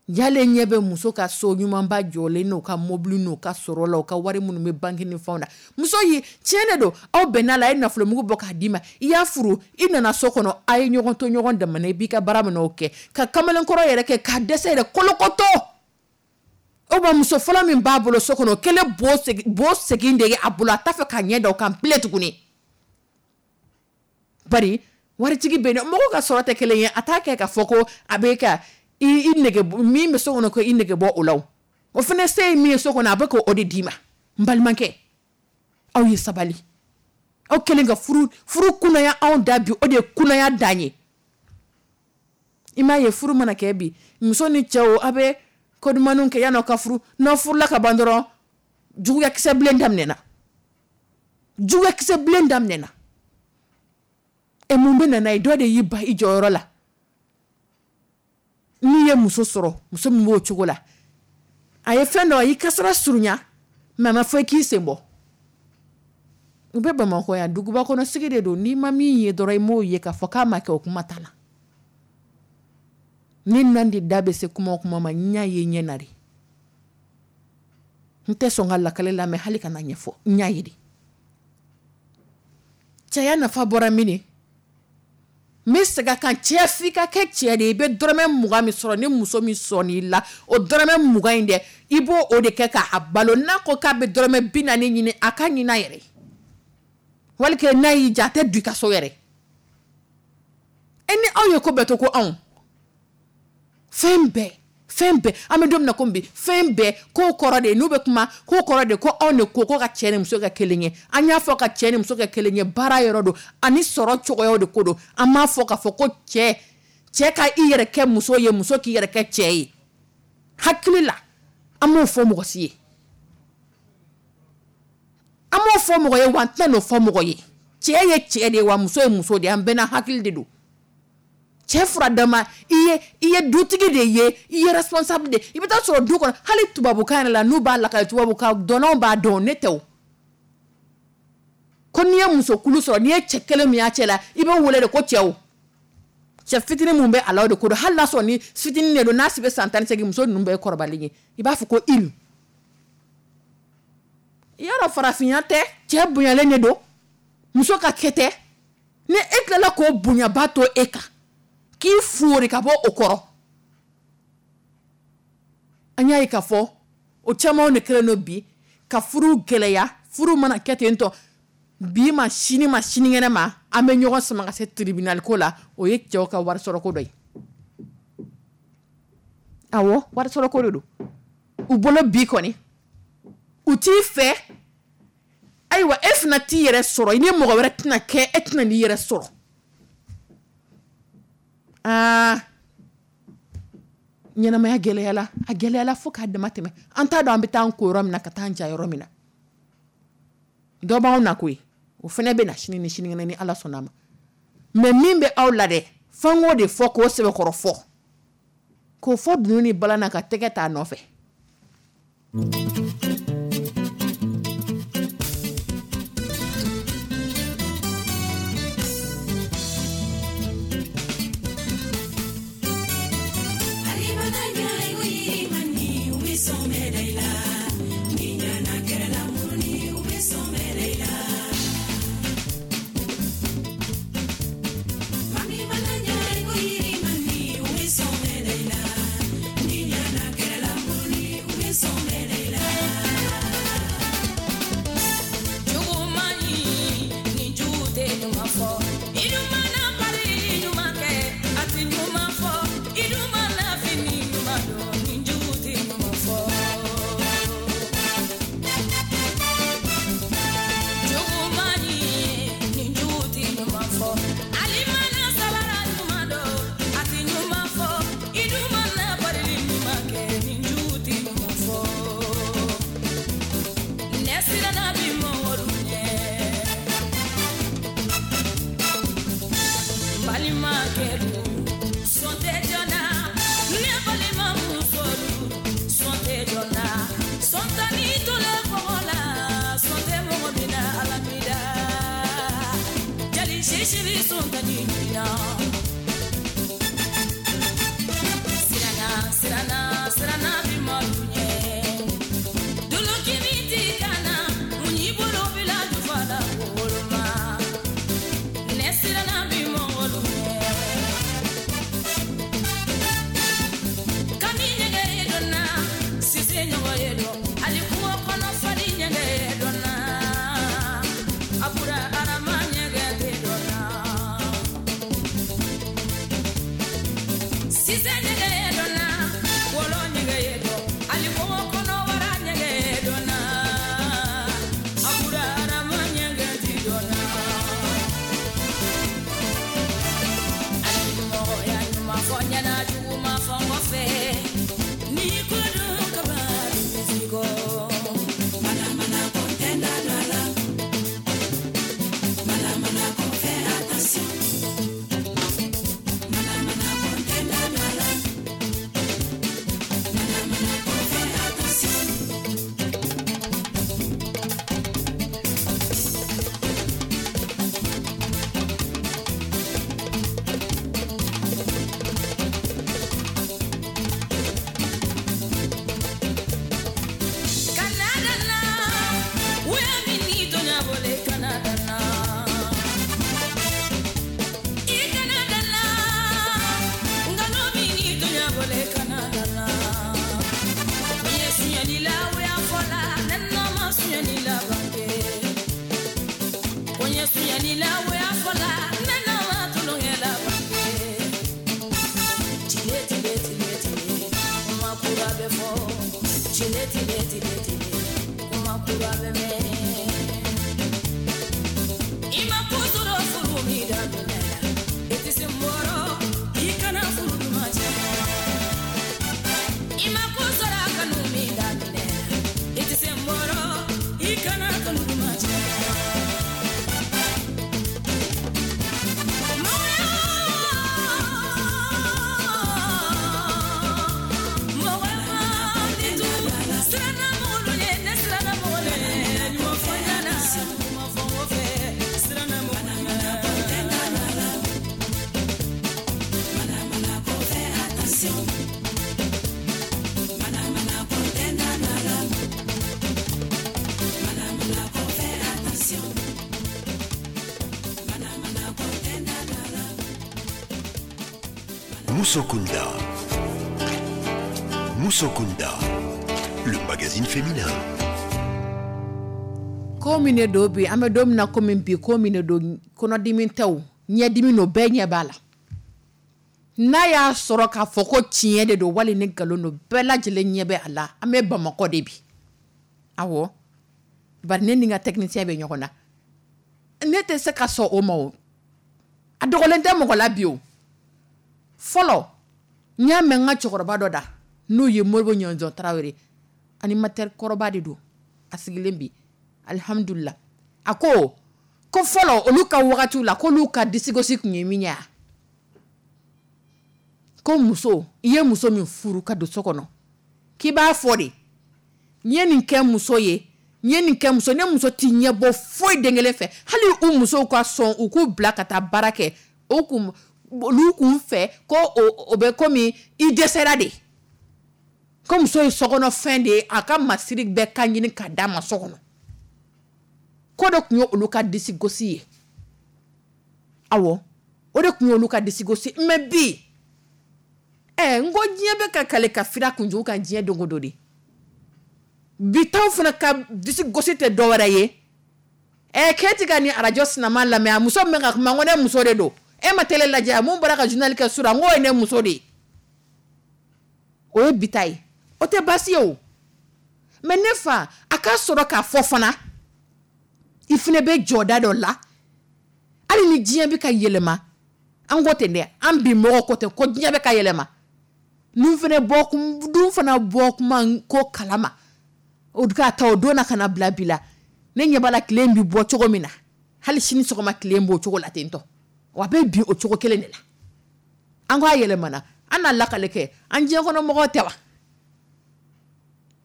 Jalen ɲɛ bɛ muso ka so ɲumanba jɔlen n'o ka mobili n'o ka sɔrɔ la, o ka wari minnu bɛ banque ni fɛnw na. Muso ye tiɲɛ de don, aw bɛnna la, a ye nafolomugu bɔ k'a d'i ma, i y'a furu, i nana so kɔnɔ, a ye ɲɔgɔn to ɲɔgɔn damana, i b'i ka baara minɛ o kɛ, ka kamalenkɔrɔ yɛrɛ kɛ k'a dɛsɛ yɛrɛ kolokoto. O ma muso fɔlɔ min b'a bolo so kɔnɔ, o kɛlen bo segin de ye a bolo, a t'a fɛ k'a ɲɛ da o kan bilen tuguni. Bari waritigi bɛ yen, mɔgɔw ka sɔrɔ tɛ kelen ye, a t'a kɛ k'a fɔ ko a bɛ ka i nege min bɛ so kɔnɔ, ko i nege bɔ o la. O fana se ye min ye so kɔnɔ, a bɛ k'o de d'i ma. N balimakɛ, aw ye sabali. Aw kɛlen ka furu furu kunnaya anw da bi, o de ye kunnaya dan ye. I m'a ye, furu mana kɛ bi, muso ni cɛw, a bɛ ko dumanniw kɛ yan'aw ka furu. N'aw furula ka ban dɔrɔn, juguyakisɛ bilen daminɛna, juguyakisɛ bilen daminɛna. E, mun bɛ na n'a ye? Dɔ de y'i ba i jɔyɔrɔ la. N'i ye muso sɔrɔ, muso min b'o cogo la, a ye fɛn dɔ, a y'i kasara surunya, mais a ma fɔ i k'i sen bɔ. U bɛ Bamakɔ yan, duguba kɔnɔ sigi de don. N'i ma min ye dɔrɔn, i m'o ye. K'a fɔ k'a ma kɛ, o kuma t'a la. Ni Nandi da bɛ se kuma o kuma ma, n y'a ye ɲɛ na de. N tɛ sɔn ka lakale lamɛn hali ka na ɲɛfɔ, n y'a ye de. Cɛya nafa bɔra min? N bɛ segin a kan, cɛ, f'i ka kɛ cɛ de ye. I bɛ dɔrɔmɛ mugan min sɔrɔ, ni muso min sɔnn'i la, o dɔrɔmɛ mugan in dɛ, i b'o o de kɛ k'a balo. N'a ko k'a bɛ dɔrɔmɛ bi naani ɲini, a ka ɲini a yɛrɛ ye. Wali n'a y'i diya, a tɛ don i ka so yɛrɛ. E ni aw ye ko bɛɛ to ko anw, fɛn bɛɛ, fɛn bɛɛ, an bɛ don min na komi bi, fɛn bɛɛ ko kɔrɔ de ye, n'u bɛ kuma ko kɔrɔ de, ko anw de ko ko ka cɛ ni muso kɛ kelen ye. An y'a fɔ ka cɛ ni muso kɛ kelen ye, baara yɔrɔ don ani sɔrɔ cogoyaw de ko don. An m'a fɔ k'a fɔ ko cɛ cɛ ka i yɛrɛ kɛ muso ye, muso k'i yɛrɛ kɛ cɛ ye. Hakili la, an m'o fɔ mɔgɔ si ye, an m'o fɔ mɔgɔ ye, wa an tɛna n'o fɔ mɔgɔ ye. Cɛ ye cɛ de ye, wa muso ye muso de ye, an bɛɛ n'a hakili de don. Cɛ fura dama, i ye i ye dutigi de ye, i ye responsable de. I bɛ taa sɔrɔ du kɔnɔ, hali tubabukan yɛrɛ la, n'u b'a lakale, tubabukan dɔnnaw b'a dɔn, ne tɛ o. Ko n'i ye musokulu sɔrɔ, n'i ye cɛ kelen min y'a cɛ la, i bɛ wele de ko cɛw. Cɛ fitinin mun bɛ a la, o de ko don. Hali n'a sɔrɔ ni fitinin de don, n'a si bɛ san tan ni seegin, muso ninnu bɛɛ ye kɔrɔbalen ye, i b'a fɔ ko il. Yɔrɔ farafinya tɛ, cɛ bonyalen de don, muso ka kɛ tɛ. Ni e tilala k'o bonyaba to e kan, k'i foori ka bɔ o kɔrɔ, an y'a ye k'a fɔ o camanw de kɛlen don bi ka furu gɛlɛya. Furu mana kɛ ten tɔ, bi ma, sini ma, sinikɛnɛ ma, an bɛ ɲɔgɔn sama ka se tribunal ko la. O ye cɛw ka wari sɔrɔ ko dɔ ye. Awɔ, wari sɔrɔ ko de don u bolo bi kɔni. U t'i fɛ. Ayiwa, e fana t'i yɛrɛ sɔrɔ, i ni mɔgɔ wɛrɛ tɛna kɛ, e tɛna n'i yɛrɛ sɔrɔ. Aa, ɲɛnamaya gɛlɛyala, a gɛlɛyala fo k'a dama tɛmɛ. An t'a dɔn an bɛ taa an ko yɔrɔ min na, ka taa an ja yɔrɔ min na. Dɔ b'anw na koyi, o fana bɛ na sini ni sinikɛnɛ ni Ala sɔnna a ma. Mais min bɛ aw la dɛ, f'an k'o de fɔ, k'o sɛbɛkɔrɔ fɔ, k'o fɔ dunun ni balan na, ka tɛgɛ t'a nɔfɛ. Musokunda. Musokunda, le magazine féminin. Ko min don bi, an bɛ don min na komi bi, ko min don, kɔnɔdimi tɛ o, ɲɛdimi don, bɛɛ ɲɛ b'a la. N'a y'a sɔrɔ k'a fɔ ko tiɲɛ de don wali ni nkalon don, bɛɛ lajɛlen ɲɛ bɛ a la. An bɛ Bamakɔ de bi. Awɔ. Bari ne ni n ka technicien bɛ ɲɔgɔn na, ne tɛ se ka sɔn o ma. O a dogolen tɛ mɔgɔ la bi. O fɔlɔ, n y'a mɛn n ka cɛkɔrɔba dɔ da, n'o ye Moribo Ɲɔnzɔn Tarawele, animateur kɔrɔba de don, a sigilen bi, alihamudulila. A ko ko fɔlɔ, olu ka wagatiw la, k'olu ka disigosi tun ye min ye, ko muso, i ye muso min furu ka don so kɔnɔ, k'i b'a fɔ de: n ye nin kɛ muso ye, n ye nin kɛ muso. Ne muso t'i ɲɛ bɔ foyi den kelen fɛ. Hali u musow ka sɔn u k'u bila ka taa baara kɛ, o kun olu kun fɛ ko o bɛ komi i dɛsɛra de, ko muso ye sokɔnɔfɛn de ye, a ka masiri bɛɛ ka ɲini ka d'a ma so kɔnɔ. Ko de tun ye olu ka disi gosi ye. Awɔ, o de tun ye olu ka disi gosi. Mais bi ɛ, n ko diɲɛ bɛ ka kale ka fira kunjugu kan diɲɛ don o don de. Bi taw fana ka disi gosi tɛ dɔwɛrɛ ye. Ɛ, k'e ti ka nin arajo sinama lamɛn, a muso min ka kuma, n ko ne muso de don. E ma télé lajɛ, mun bɔra ka journal kɛ sura, n k'o ye ne muso de ye. O ye bi ta ye, o tɛ baasi ye o. Mais ne fa, a ka sɔrɔ k'a fɔ fana, i fana bɛ jɔda dɔ la. Hali ni diɲɛ bɛ ka yɛlɛma, an ko ten dɛ, an bi mɔgɔw ko ten ko diɲɛ bɛ ka yɛlɛma, nun fana bɔ dun fana bɔ kuma ko kalama, o ka ta o don na ka na bila bi la. Ne ɲɛ b'a la, tile bɛ bɔ cogo min na, hali sini sɔgɔma tile b'o cogo la ten tɔ, wa a bɛ bin o cogo kelen de la. An ko a yɛlɛmana, an n'a lakale kɛ, an diɲɛ kɔnɔ mɔgɔw tɛ wa?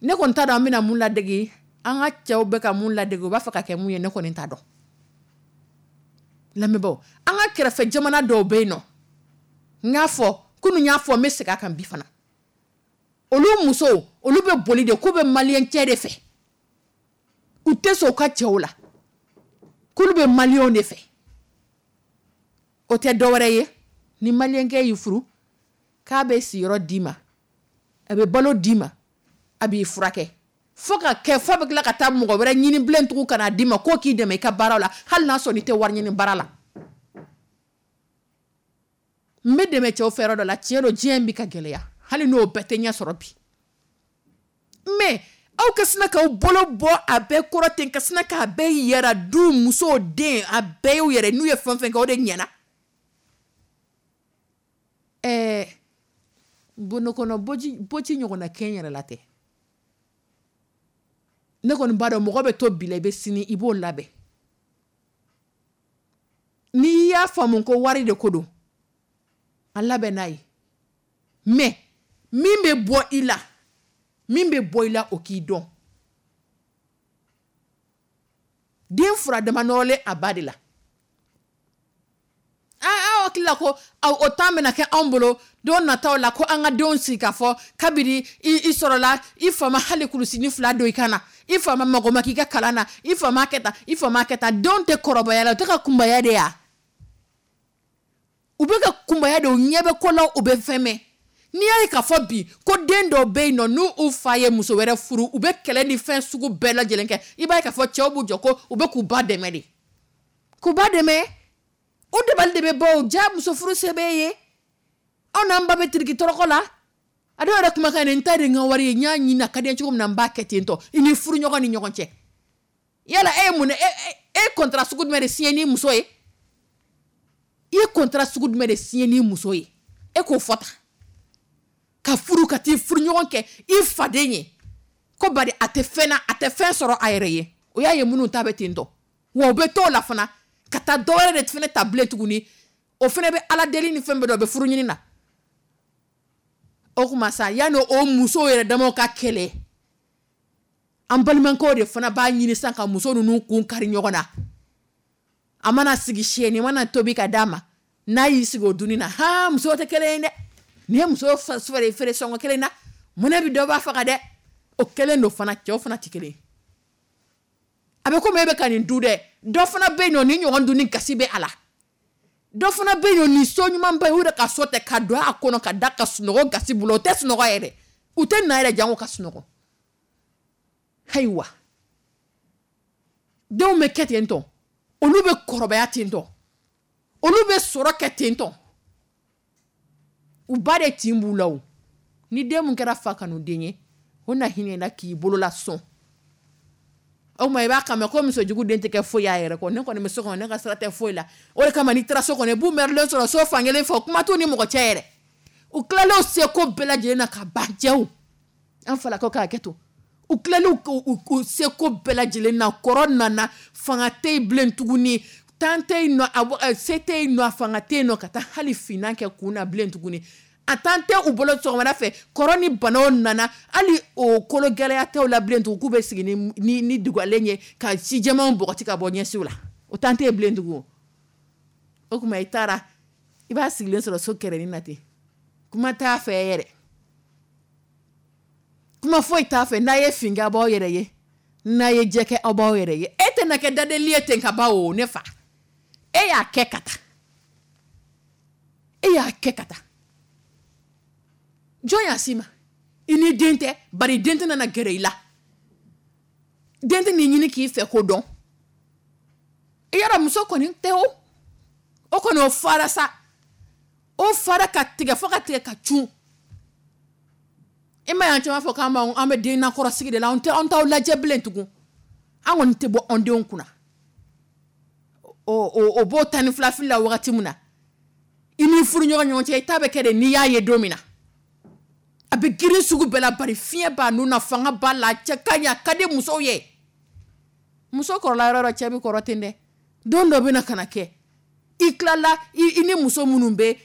Ne kɔni t'a dɔn an bɛna mun ladege, an ka cɛw bɛ ka mun ladege, u b'a fɛ ka kɛ mun ye, ne kɔni t'a dɔn. Lamɛnbaaw, an ka kɛrɛfɛ jamana dɔw bɛ yen nɔ, n y'a fɔ kunun, n y'a fɔ, n bɛ segin a kan bi fana, olu musow, olu bɛ boli de k'u bɛ maliyɛn cɛ de fɛ, u tɛ sɔn u ka cɛw la, k'olu bɛ maliyɛnw de fɛ. O tɛ dɔwɛrɛ ye, ni maliyɛnkɛ y'i furu, k'a bɛ siyɔrɔ d'i ma, a bɛ balo d'i ma, a b'i furakɛ, fo ka kɛ fo bɛ tila ka taa mɔgɔ wɛrɛ ɲini bilen tugun ka n'a d'i ma k'o k'i dɛmɛ i ka baara la, hali n'a sɔrɔ i tɛ wari ɲini baara la. N bɛ dɛmɛ cɛw fɛ yɔrɔ dɔ la, tiɲɛ don, diɲɛ in bɛ ka gɛlɛya, hali n'o bɛɛ tɛ ɲɛ sɔrɔ bi. Mais aw ka sina k'aw bolo bɔ a bɛɛ kɔrɔ ten, ka sina k'a bɛɛ yɛrɛ du, muso, den, a bɛɛ y'u yɛrɛ, n'u ye fɛn fɛn kɛ, o de ɲɛna. Ɛɛ, bondo kɔnɔ boji boci ɲɔgɔnna kɛ n yɛrɛ la tɛ. Ne kɔni b'a dɔn, mɔgɔ bɛ to bi la, i bɛ sini i b'o labɛn. N'i y'a faamu ko wari de ko don, a labɛn n'a ye. Mais min bɛ bɔ i la, min bɛ bɔ i la, o k'i dɔn. Den fura dama nɔrɔlen a ba de la. Aw hakili la ko o temps bɛna kɛ anw bolo don nataw la, ko an ka denw sigi k'a fɔ kabini i sɔrɔla, i fa ma hali kulusinin fila don i kan na, i fa ma mago ma k'i ka kalan na, i fa ma kɛ tan, i fa ma kɛ tan. Denw tɛ kɔrɔbaya la, u tɛ ka kunbaya de ya, u bɛ ka kunbaya de, u ɲɛ bɛ ko la, u bɛ fɛn mɛn. N'i y'a ye k'a fɔ bi ko den dɔw bɛ yen nɔ, n'u fa ye muso wɛrɛ furu, u bɛ kɛlɛ ni fɛn sugu bɛɛ lajɛlen kɛ, i b'a ye k'a fɔ cɛw b'u jɔ ko u bɛ k'u ba dɛmɛ de, k'u ba dɛmɛ. O dabali de bɛ bɔ o ja, muso furu se b'e ye, anw n'an ba bɛ tiriki tɔrɔkɔ la. A dɔw yɛrɛ kumakan ye, n ta de n ka wari ye, n y'a ɲini, a ka di n ye cogo min na, n b'a kɛ ten tɔ. I ni furuɲɔgɔn ni ɲɔgɔn cɛ, yala e ye mun e e ye contrat sugu jumɛn de signé ni muso ye? I ye contrat sugu jumɛn de signé ni muso ye? E k'o fɔ tan, ka furu, ka t'i furuɲɔgɔn kɛ i faden ye, ko bari a tɛ fɛn na, a tɛ fɛn sɔrɔ a yɛrɛ ye. O y'a ye minnu ta bɛ ten tɔ, wa u bɛ t'o la fana ka taa dɔ wɛrɛ de fana ta bilen tuguni, o fana bɛ ala deli ni fɛn bɛɛ dɔn, o bɛ furu ɲini na. O tuma sa, yanni o musow yɛrɛ damaw ka kɛlɛ, an balimakɛw de fana b'a ɲini sisan ka muso ninnu kun kari ɲɔgɔn na. A mana sigi siyɛni mana tobi ka d'a ma, n'a y'i sigi o dunni na, ha, musow tɛ kelen ye dɛ, nin ye muso feere feere sɔngɔ kelen na, munɛ bi dɔ b'a faga dɛ. O kelen don fana, cɛw fana tɛ kelen ye. A bɛ komi e bɛ ka nin du dɛ, dɔ fana bɛ yen nɔ, ni ɲɔgɔn dunni gasi bɛ a la. Dɔ fana bɛ yen nɔ, nin so ɲumanba ye, u yɛrɛ ka so tɛ ka don a kɔnɔ ka da ka sunɔgɔ gasi bolo, o tɛ sunɔgɔ yɛrɛ, u tɛ na yɛrɛ jango ka sunɔgɔ. Ayiwa, denw bɛ kɛ ten tɔ, olu bɛ kɔrɔbaya ten tɔ, olu bɛ sɔrɔ kɛ ten tɔ, u ba de tin b'u la o. Ni den mun kɛra fa kanuden ye, o na hinɛ la k'i bolo la sɔn. O tuma i b'a kan mɛn ko musojugu den tɛ kɛ foyi y'a yɛrɛ kɔ. Ne kɔni bɛ so kɔnɔ, ne ka sira tɛ foyi la. O de kama n'i taara so kɔnɔ, i b'u mɛrilen sɔrɔ so fankelen fɛ, kuma t'u ni mɔgɔ cɛ yɛrɛ. U tilalen seko bɛɛ lajɛlen na ka ban cɛw, an falakaw k'a kɛ to, u tilalen u seko bɛɛ lajɛlen na, kɔrɔ nana, fanga tɛ yen bilen tuguni, tan tɛ yen nɔ, se tɛ yen nɔ, fanga tɛ yen nɔ ka taa hali finan kɛ kun na bilen tuguni. A tan tɛ u bolo sɔgɔmada fɛ, kɔrɔ ni banaw nana, hali o kolo gɛlɛya tɛw la bilen tugun, k'u bɛ sigi ni ni ni dugalen ye ka si jɛmanw bɔgɔti ka bɔ ɲɛsiw la, o tan tɛ yen bilen tugun. O tuma i taara, i b'a sigilen sɔrɔ so kɛrɛnin na ten, kuma t'a fɛ yɛrɛ, kuma foyi t'a fɛ. N'a ye fin kɛ, aw b'aw yɛrɛ ye, n'a ye jɛ kɛ, aw b'aw yɛrɛ ye. E tɛna kɛ dadeli ye ten ka ban o. Ne fa, e y'a kɛ ka taa, e y'a kɛ ka taa, jɔn y'a s'i ma? I ni den tɛ, bari den tɛna na gɛrɛ i la, den tɛ n'i ɲini k'i fɛ ko dɔn. I yɔrɔ muso kɔni tɛ o, o kɔni o fara sa, o fara ka tigɛ fo ka tigɛ ka cun. I ma y'an caman fɔ k'an b'an an bɛ den nakɔrɔsigi de la, an tɛ an t'aw lajɛ bilen tugun, an kɔni tɛ bɔ an denw kunna. O o o b'o tan ni fila fili la wagati min na, i n'i furuɲɔgɔn ɲɔgɔn cɛ, i ta bɛ kɛ de n'i y'a ye don min na. A bɛ girin sugu bɛɛ la, bari fiɲɛ b'a nun na, fanga b'a la, a cɛ ka ɲi, a ka di musow ye. Muso kɔrɔla yɔrɔ yɔrɔ, cɛ bɛ kɔrɔ ten dɛ. Don dɔ bɛ na ka na kɛ, i tilala i ni muso minnu bɛ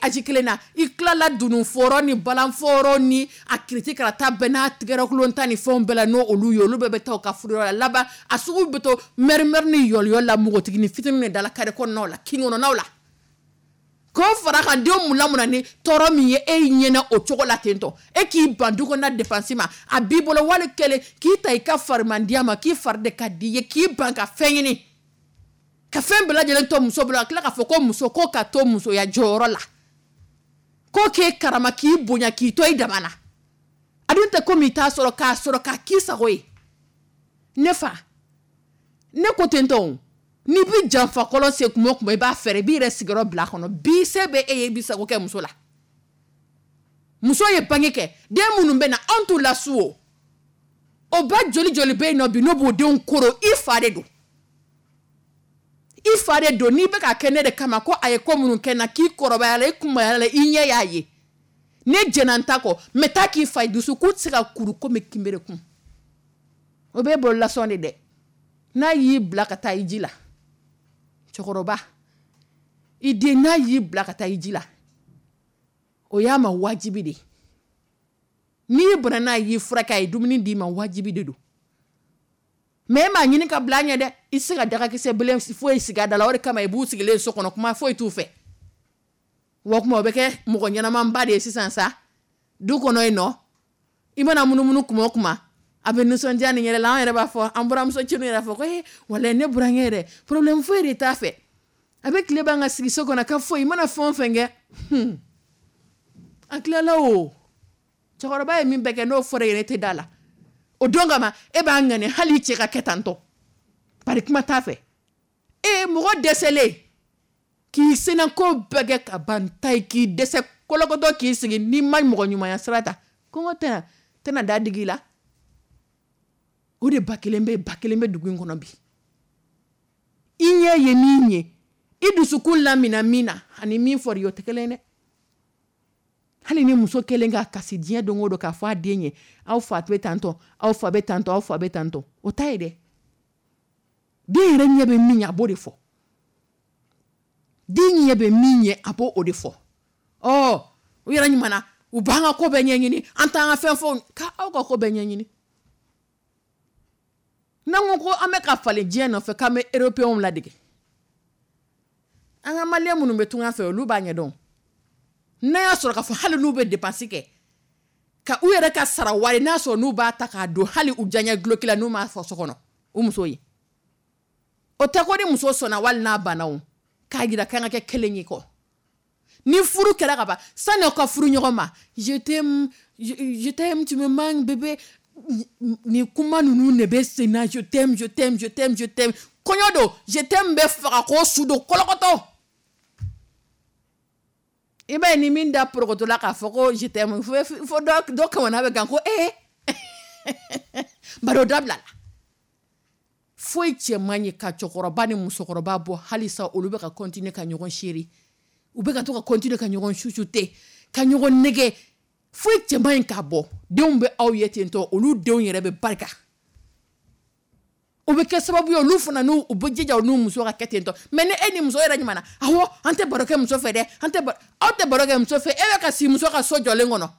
aji kelen na, i tilala dununfɔrɔ ni balanfɔrɔ ni a kiriti karata bɛɛ n'a tigɛrɛkulon ta ni fɛnw bɛɛ la, n'o olu ye, olu bɛɛ bɛ taa u ka furuyɔrɔ la. Laban a sugu bɛ to mɛri-mɛri ni yɔliyɔli la, npogotiginin fitininw de dala kare kɔnɔnaw la, kin kɔnɔnaw la. K'o fara kan, denw mun lamɔna ni tɔɔrɔ min ye e ɲɛna o cogo la ten tɔ, e k'i ban du kɔnɔna dépense ma, a b'i bolo wali kelen k'i ta i ka farimandiya ma, k'i fari de ka di i ye, k'i ban ka fɛn ɲini, ka fɛn bɛɛ lajɛlen to muso bolo, ka tila k'a fɔ ko muso ko ka to musoya jɔyɔrɔ la, ko k'e karama, k'i bonya, k'i to i dama na. A dun tɛ komi i t'a sɔrɔ, k'a sɔrɔ k'a k'i sago ye. Ne fa, ne ko ten tɔ, n'i bɛ janfa kɔlɔn sen kuma o kuma, i b'a fɛɛrɛ, i b'i yɛrɛ sigiyɔrɔ bila a kɔnɔ. Bi se bɛ e ye, i b'i sago kɛ muso la. Muso ye bange kɛ, den minnu bɛ na, anw t'u lasu o. O ba joli joli bɛ yen nɔ bi n'o b'o denw koro, i fa de don, i fa de don. N'i bɛ k'a kɛ ne de kama, ko a ye ko minnu kɛ n na, k'i kɔrɔbaya la, i kunbaya la, i ɲɛ y'a ye, ne jɛnna n ta kɔ, mɛ taa k'i fa dusukun tɛ se ka kuru komi kinberekun. O b'e bolo lasɔn de dɛ. N'a y'i bila ka taa i ji la, cɛkɔrɔba, i den n'a y'i bila ka taa i ji la, o y'a ma wajibi de ye. N'i bɔnna n'a y'i furakɛ, a ye dumuni d'i ma, wajibi de don. Mɛ e m'a ɲini ka bila a ɲɛ dɛ, i tɛ se ka dagakisɛ bilen foyi sigi a da la. O de kama i b'u sigilen so kɔnɔ, kuma foyi t'u fɛ. Wa kuma o bɛ kɛ mɔgɔ ɲɛnamanba de ye sisan sa du kɔnɔ yen nɔ. I mana munumunu kuma o kuma, a bɛ nisɔndiya ni yɛrɛ la. An yɛrɛ b'a fɔ, an buramuso cinu yɛrɛ fɔ ko ee, walayi ne burankɛ yɛrɛ, problème foyi de t'a fɛ, a bɛ tile ban ka sigi so kɔnɔ ka foyi. I mana fɛn o fɛn kɛ, hmm, a tilala o. Cɛkɔrɔba ye min bɛɛ kɛ, n'o fɔra e ye, ne tɛ da la. O don kama e b'a ŋani hali i cɛ ka kɛ tantɔ, bari kuma t'a fɛ. E mɔgɔ dɛsɛlen k'i senako bɛɛ kɛ ka ban ta ye, k'i dɛsɛ kɔlɔkɔtɔ, k'i sigi, n'i ma mɔgɔ ɲumanya sira ta, kɔngɔ tɛna tɛna da digi i la. O de ba kelen bɛ ba kelen bɛ dugu in kɔnɔ bi. I ɲɛ ye min ye, i dusukun lamina min na, ani min fɔra i ye, o tɛ kelen ye dɛ. Hali ni muso kelen ka kasi diɲɛ don o don k'a fɔ a den ye, aw fa bɛ tantɔ, aw fa bɛ tantɔ, aw fa bɛ tantɔ, o ta ye dɛ. Den yɛrɛ ɲɛ bɛ min ye, a b'o de fɔ. Den ɲɛ bɛ min ye, a b'o o de fɔ. Ɔ u yɛrɛ ɲuman na, u b'an ka ko bɛɛ ɲɛɲini, an t'an ka fɛn fɔ k'aw ka ko bɛɛ ɲɛɲini. N'an ko ko an bɛ ka falen diɲɛ nɔfɛ, k'an bɛ européens ladege, an ka maliyɛn minnu bɛ tunga fɛ, olu b'a ɲɛdɔn. N'a y'a sɔrɔ k'a fɔ hali n'u bɛ dépense kɛ ka u yɛrɛ ka sara wari, n'a sɔrɔ n'u b'a ta k'a don hali u diyaɲɛ duloki la, n'u m'a fɔ so kɔnɔ u muso ye, o tɛ ko ni muso sɔnna wali n'a banna, o k'a jira k'an ka kɛ kelen ye kɔ. Ni furu kɛra ka ban, sani aw ka furu ɲɔgɔn ma, je t'aime, je, je t'aime, tu me manques bébé, nin kuma ninnu de bɛ sen na. Je t'aime, je t'aime, je t'aime, je t'aime. Kɔɲɔ don, je t'aime bɛ faga k'o su don kɔlɔkɔtɔ. I b'a ye ni min da porokoto la k'a fɔ ko je t'aime, fo fo dɔ dɔ kamana bɛ gan ko ee, bari o dabila la. Foyi cɛ man ɲi ka cɛkɔrɔba ni musokɔrɔba bɔ halisa olu bɛ ka continuer ka ɲɔgɔn chéri, u bɛ ka to ka continuer ka ɲɔgɔn chuchoter, ka ɲɔgɔn nɛgɛ. Foyi cɛ man ɲi k'a bɔ. Denw bɛ aw ye ten tɔ, olu denw yɛrɛ bɛ barika. O bɛ kɛ sababu ye olu fana n'u u bɛ jija u n'u muso ka kɛ ten tɔ. Mais ni e ni muso yɛrɛ ɲuman na, awɔ, an tɛ baro kɛ muso fɛ dɛ, an tɛ aw tɛ baro kɛ muso fɛ, e bɛ ka si muso ka so jɔlen kɔnɔ.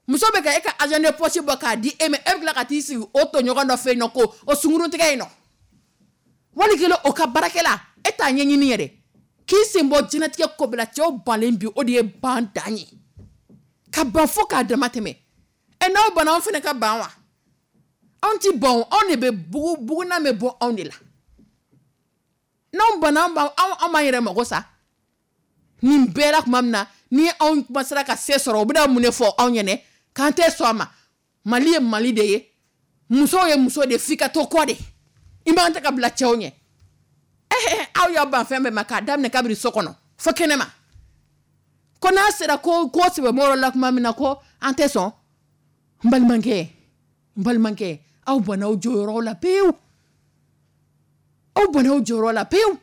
Muso bɛ ka e ka argent de poche bɔ k'a di e ma, e bɛ tila ka t'i sigi o tɔɲɔgɔn dɔ fɛ yen nɔ ko o sunkuruntigɛ yen nɔ. Wali kelen o ka baarakɛla, e t'a ɲɛɲini yɛrɛ. K'i sen bɔ diɲɛlatigɛ ko bɛɛ la, cɛw banlen bi, o de ye ban dan ye. Ka ban fo k'a dama tɛmɛ. Ɛ n'aw banna, anw fana ka ban wa? Anw ti ban o, anw de bɛ bugu, buguna bɛ bɔ anw de la. N'anw banna, anw b'an, anw b'an yɛrɛ mago sa. Nin bɛɛ la tuma min na, ni anw kuma sera ka se sɔrɔ, u bɛna mun de fɔ anw ɲɛnɛ? K'an tɛ sɔn a ma. Mali ye Mali de ye. Musow ye muso de ye, f'i ka to kɔ de. I man tɛ ka bila cɛw ɲɛ. Eh, aw y'aw ban fɛn bɛɛ ma k'a daminɛ kabiri so kɔnɔ fo kɛnɛ ma. Ko n'a sera ko ko sɛbɛmɔgɔ la tuma min na ko an tɛ sɔn. N balimakɛ, n balimakɛ, aw banna aw jɔyɔrɔ la pewu. Aw banna aw jɔyɔrɔ la pewu.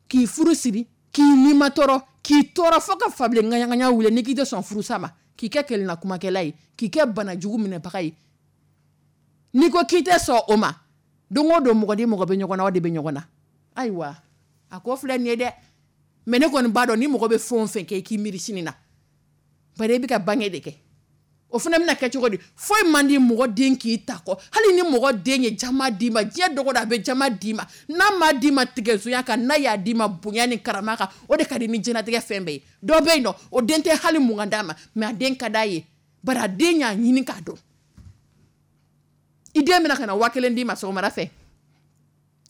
K'i furu siri, k'i nima tɔɔrɔ, k'i tɔɔrɔ fo ka fabilen ŋaɲaŋaɲa wuli n'i k'i tɛ sɔn furusa ma, k'i kɛ kelenna kumakɛla ye, k'i kɛ bana jugu minɛbaga ye. N'i ko k'i tɛ sɔn o ma, don o don mɔgɔ ni mɔgɔ bɛ ɲɔgɔn na, aw de bɛ ɲɔgɔn na. Ayiwa, a ko filɛ nin ye dɛ. Mais ne kɔni b'a dɔn ni mɔgɔ bɛ fɛn o fɛn kɛ, i k'i miiri sini na. Bari e bɛ ka bange de kɛ. O fana bɛna kɛ cogo di? Foyi man di mɔgɔ den k'i ta kɔ. Hali ni mɔgɔ den ye jama d'i ma, diɲɛ dogo don a bɛ jama d'i ma. N'a ma d'i ma tigɛsonya kan, n'a y'a d'i ma bonya ni karama kan, o de ka di ni diɲɛlatigɛ fɛn bɛɛ ye. Dɔ bɛ yen nɔ, o den tɛ hali mugan d'a ma, mais a den ka d'a ye. Bari a den y'a ɲini k'a dɔn. I den bɛna ka na waa kelen d'i ma sɔgɔmada fɛ.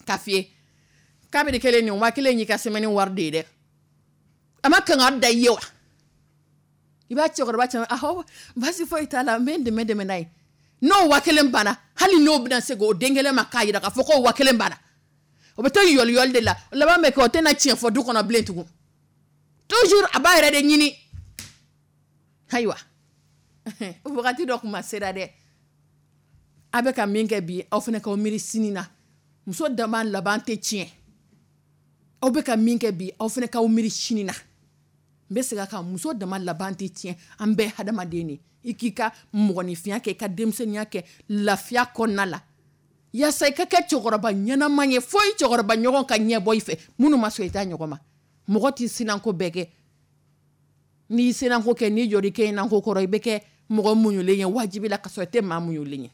K'a f'i ye kabini kelen nin waa kelen y'i ka semaine wari de ye dɛ. A ma kangari da i ye wa? I b'a cɛkɔrɔba caman, ahɔ, baasi foyi t'a la, n bɛ n dɛmɛ dɛmɛ n'a ye. N'o waa kelen banna, hali n'o bɛna segin o den kelen ma k'a jira k'a fɔ k'o waa kelen banna, o bɛ to yɔli yɔli de la. O laban bɛ kɛ o tɛna tiɲɛ fɔ du kɔnɔ bilen tugun. Toujours a b'a yɛrɛ de ɲini. Ayiwa, wagati dɔ kuma sera dɛ. A bɛ ka min kɛ bi, aw fana k'aw miiri sini na. Muso dama laban tɛ tiɲɛ. Aw bɛ ka min kɛ bi, aw fana k'aw miiri sini na. N bɛ segin a kan, muso dama laban tɛ tiɲɛ. An bɛɛ hadamaden de. I k'i ka mɔgɔninfinya kɛ, i ka denmisɛnninya kɛ lafiya kɔnɔna la. Yaasa i ka kɛ cɛkɔrɔba ɲɛnama ye, fo i cɛkɔrɔba ɲɔgɔn ka ɲɛ bɔ i fɛ. Minnu ma sɔn i ta ɲɔgɔn ma. Mɔgɔ t'i sinanko bɛɛ kɛ. N'i sinanko kɛ, n'i jɔr'i kɛ inanko kɔrɔ, i bɛ kɛ mɔgɔ muɲulen ye wajibi la ka sɔrɔ i tɛ maa muɲulen ye.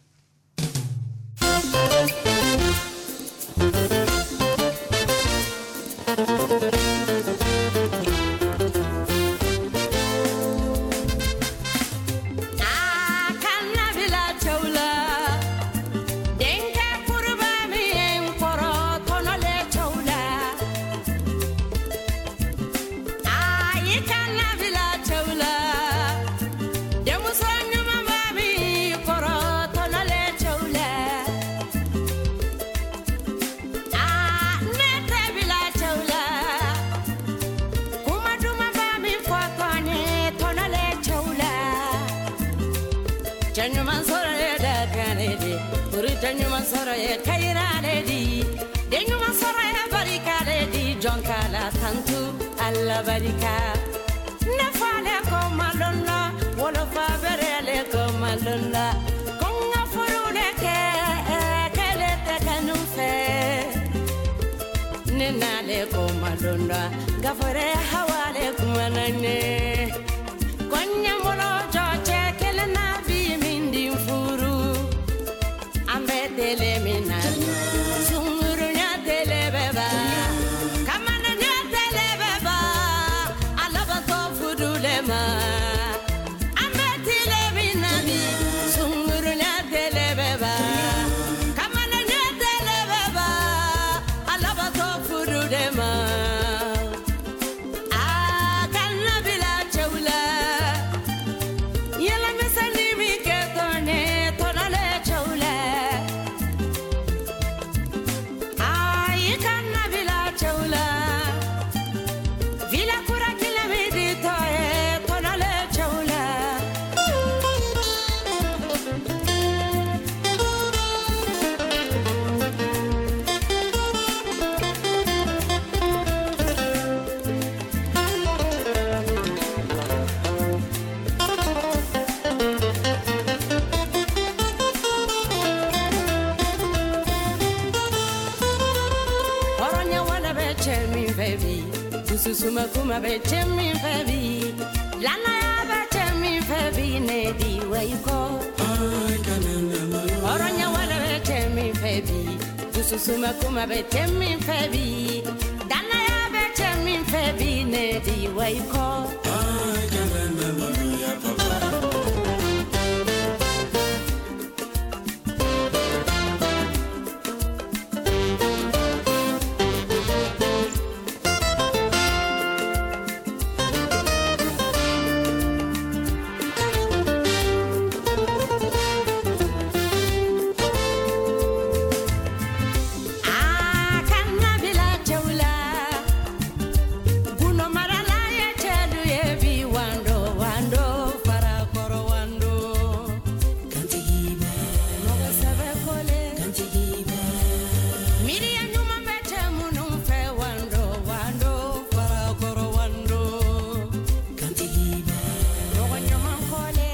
A kana bila Dususuma kuma bɛ cɛ min fɛ bi, lanaya bɛ cɛ min fɛ bi, ne di wa i kɔ. Hɔrɔnya wale bɛ cɛ min fɛ bi, dususuma kuma bɛ cɛ min fɛ bi, danaya bɛ cɛ min fɛ bi, ne di wa i kɔ. A kana bila cɛw la, gundo marala ye cɛlu ye bi, wando wando farakɔrɔ wando. Mɔgɔ sɛbɛ kole, miiriya ɲuman bɛ cɛ minnu fɛ, wando wando farakɔrɔ wando. Mɔgɔ ɲuman kole,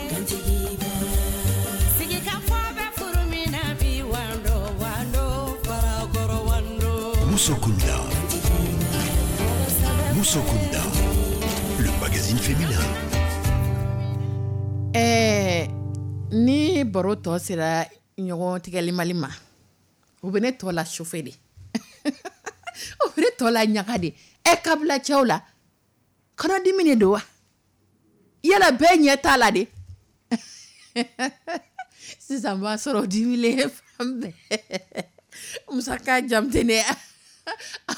sigikafɔ bɛ furu min na bi, wando wando farakɔrɔ wando. Moussokunda. Mɔgɔ sɛbɛ Moussokunda. Le magazine féminin. Ɛɛ ni baro tɔ sera ɲɔgɔn tigɛli mali ma, o bɛ ne tɔ la chauffer de, o bɛ ne tɔ la ɲaga de. Ɛ kabila cɛw la kɔnɔdimi de don wa? Yala bɛɛ ɲɛ t'a la de. Sisan b'a sɔrɔ dimilen fan bɛɛ. Musaka Jamutene,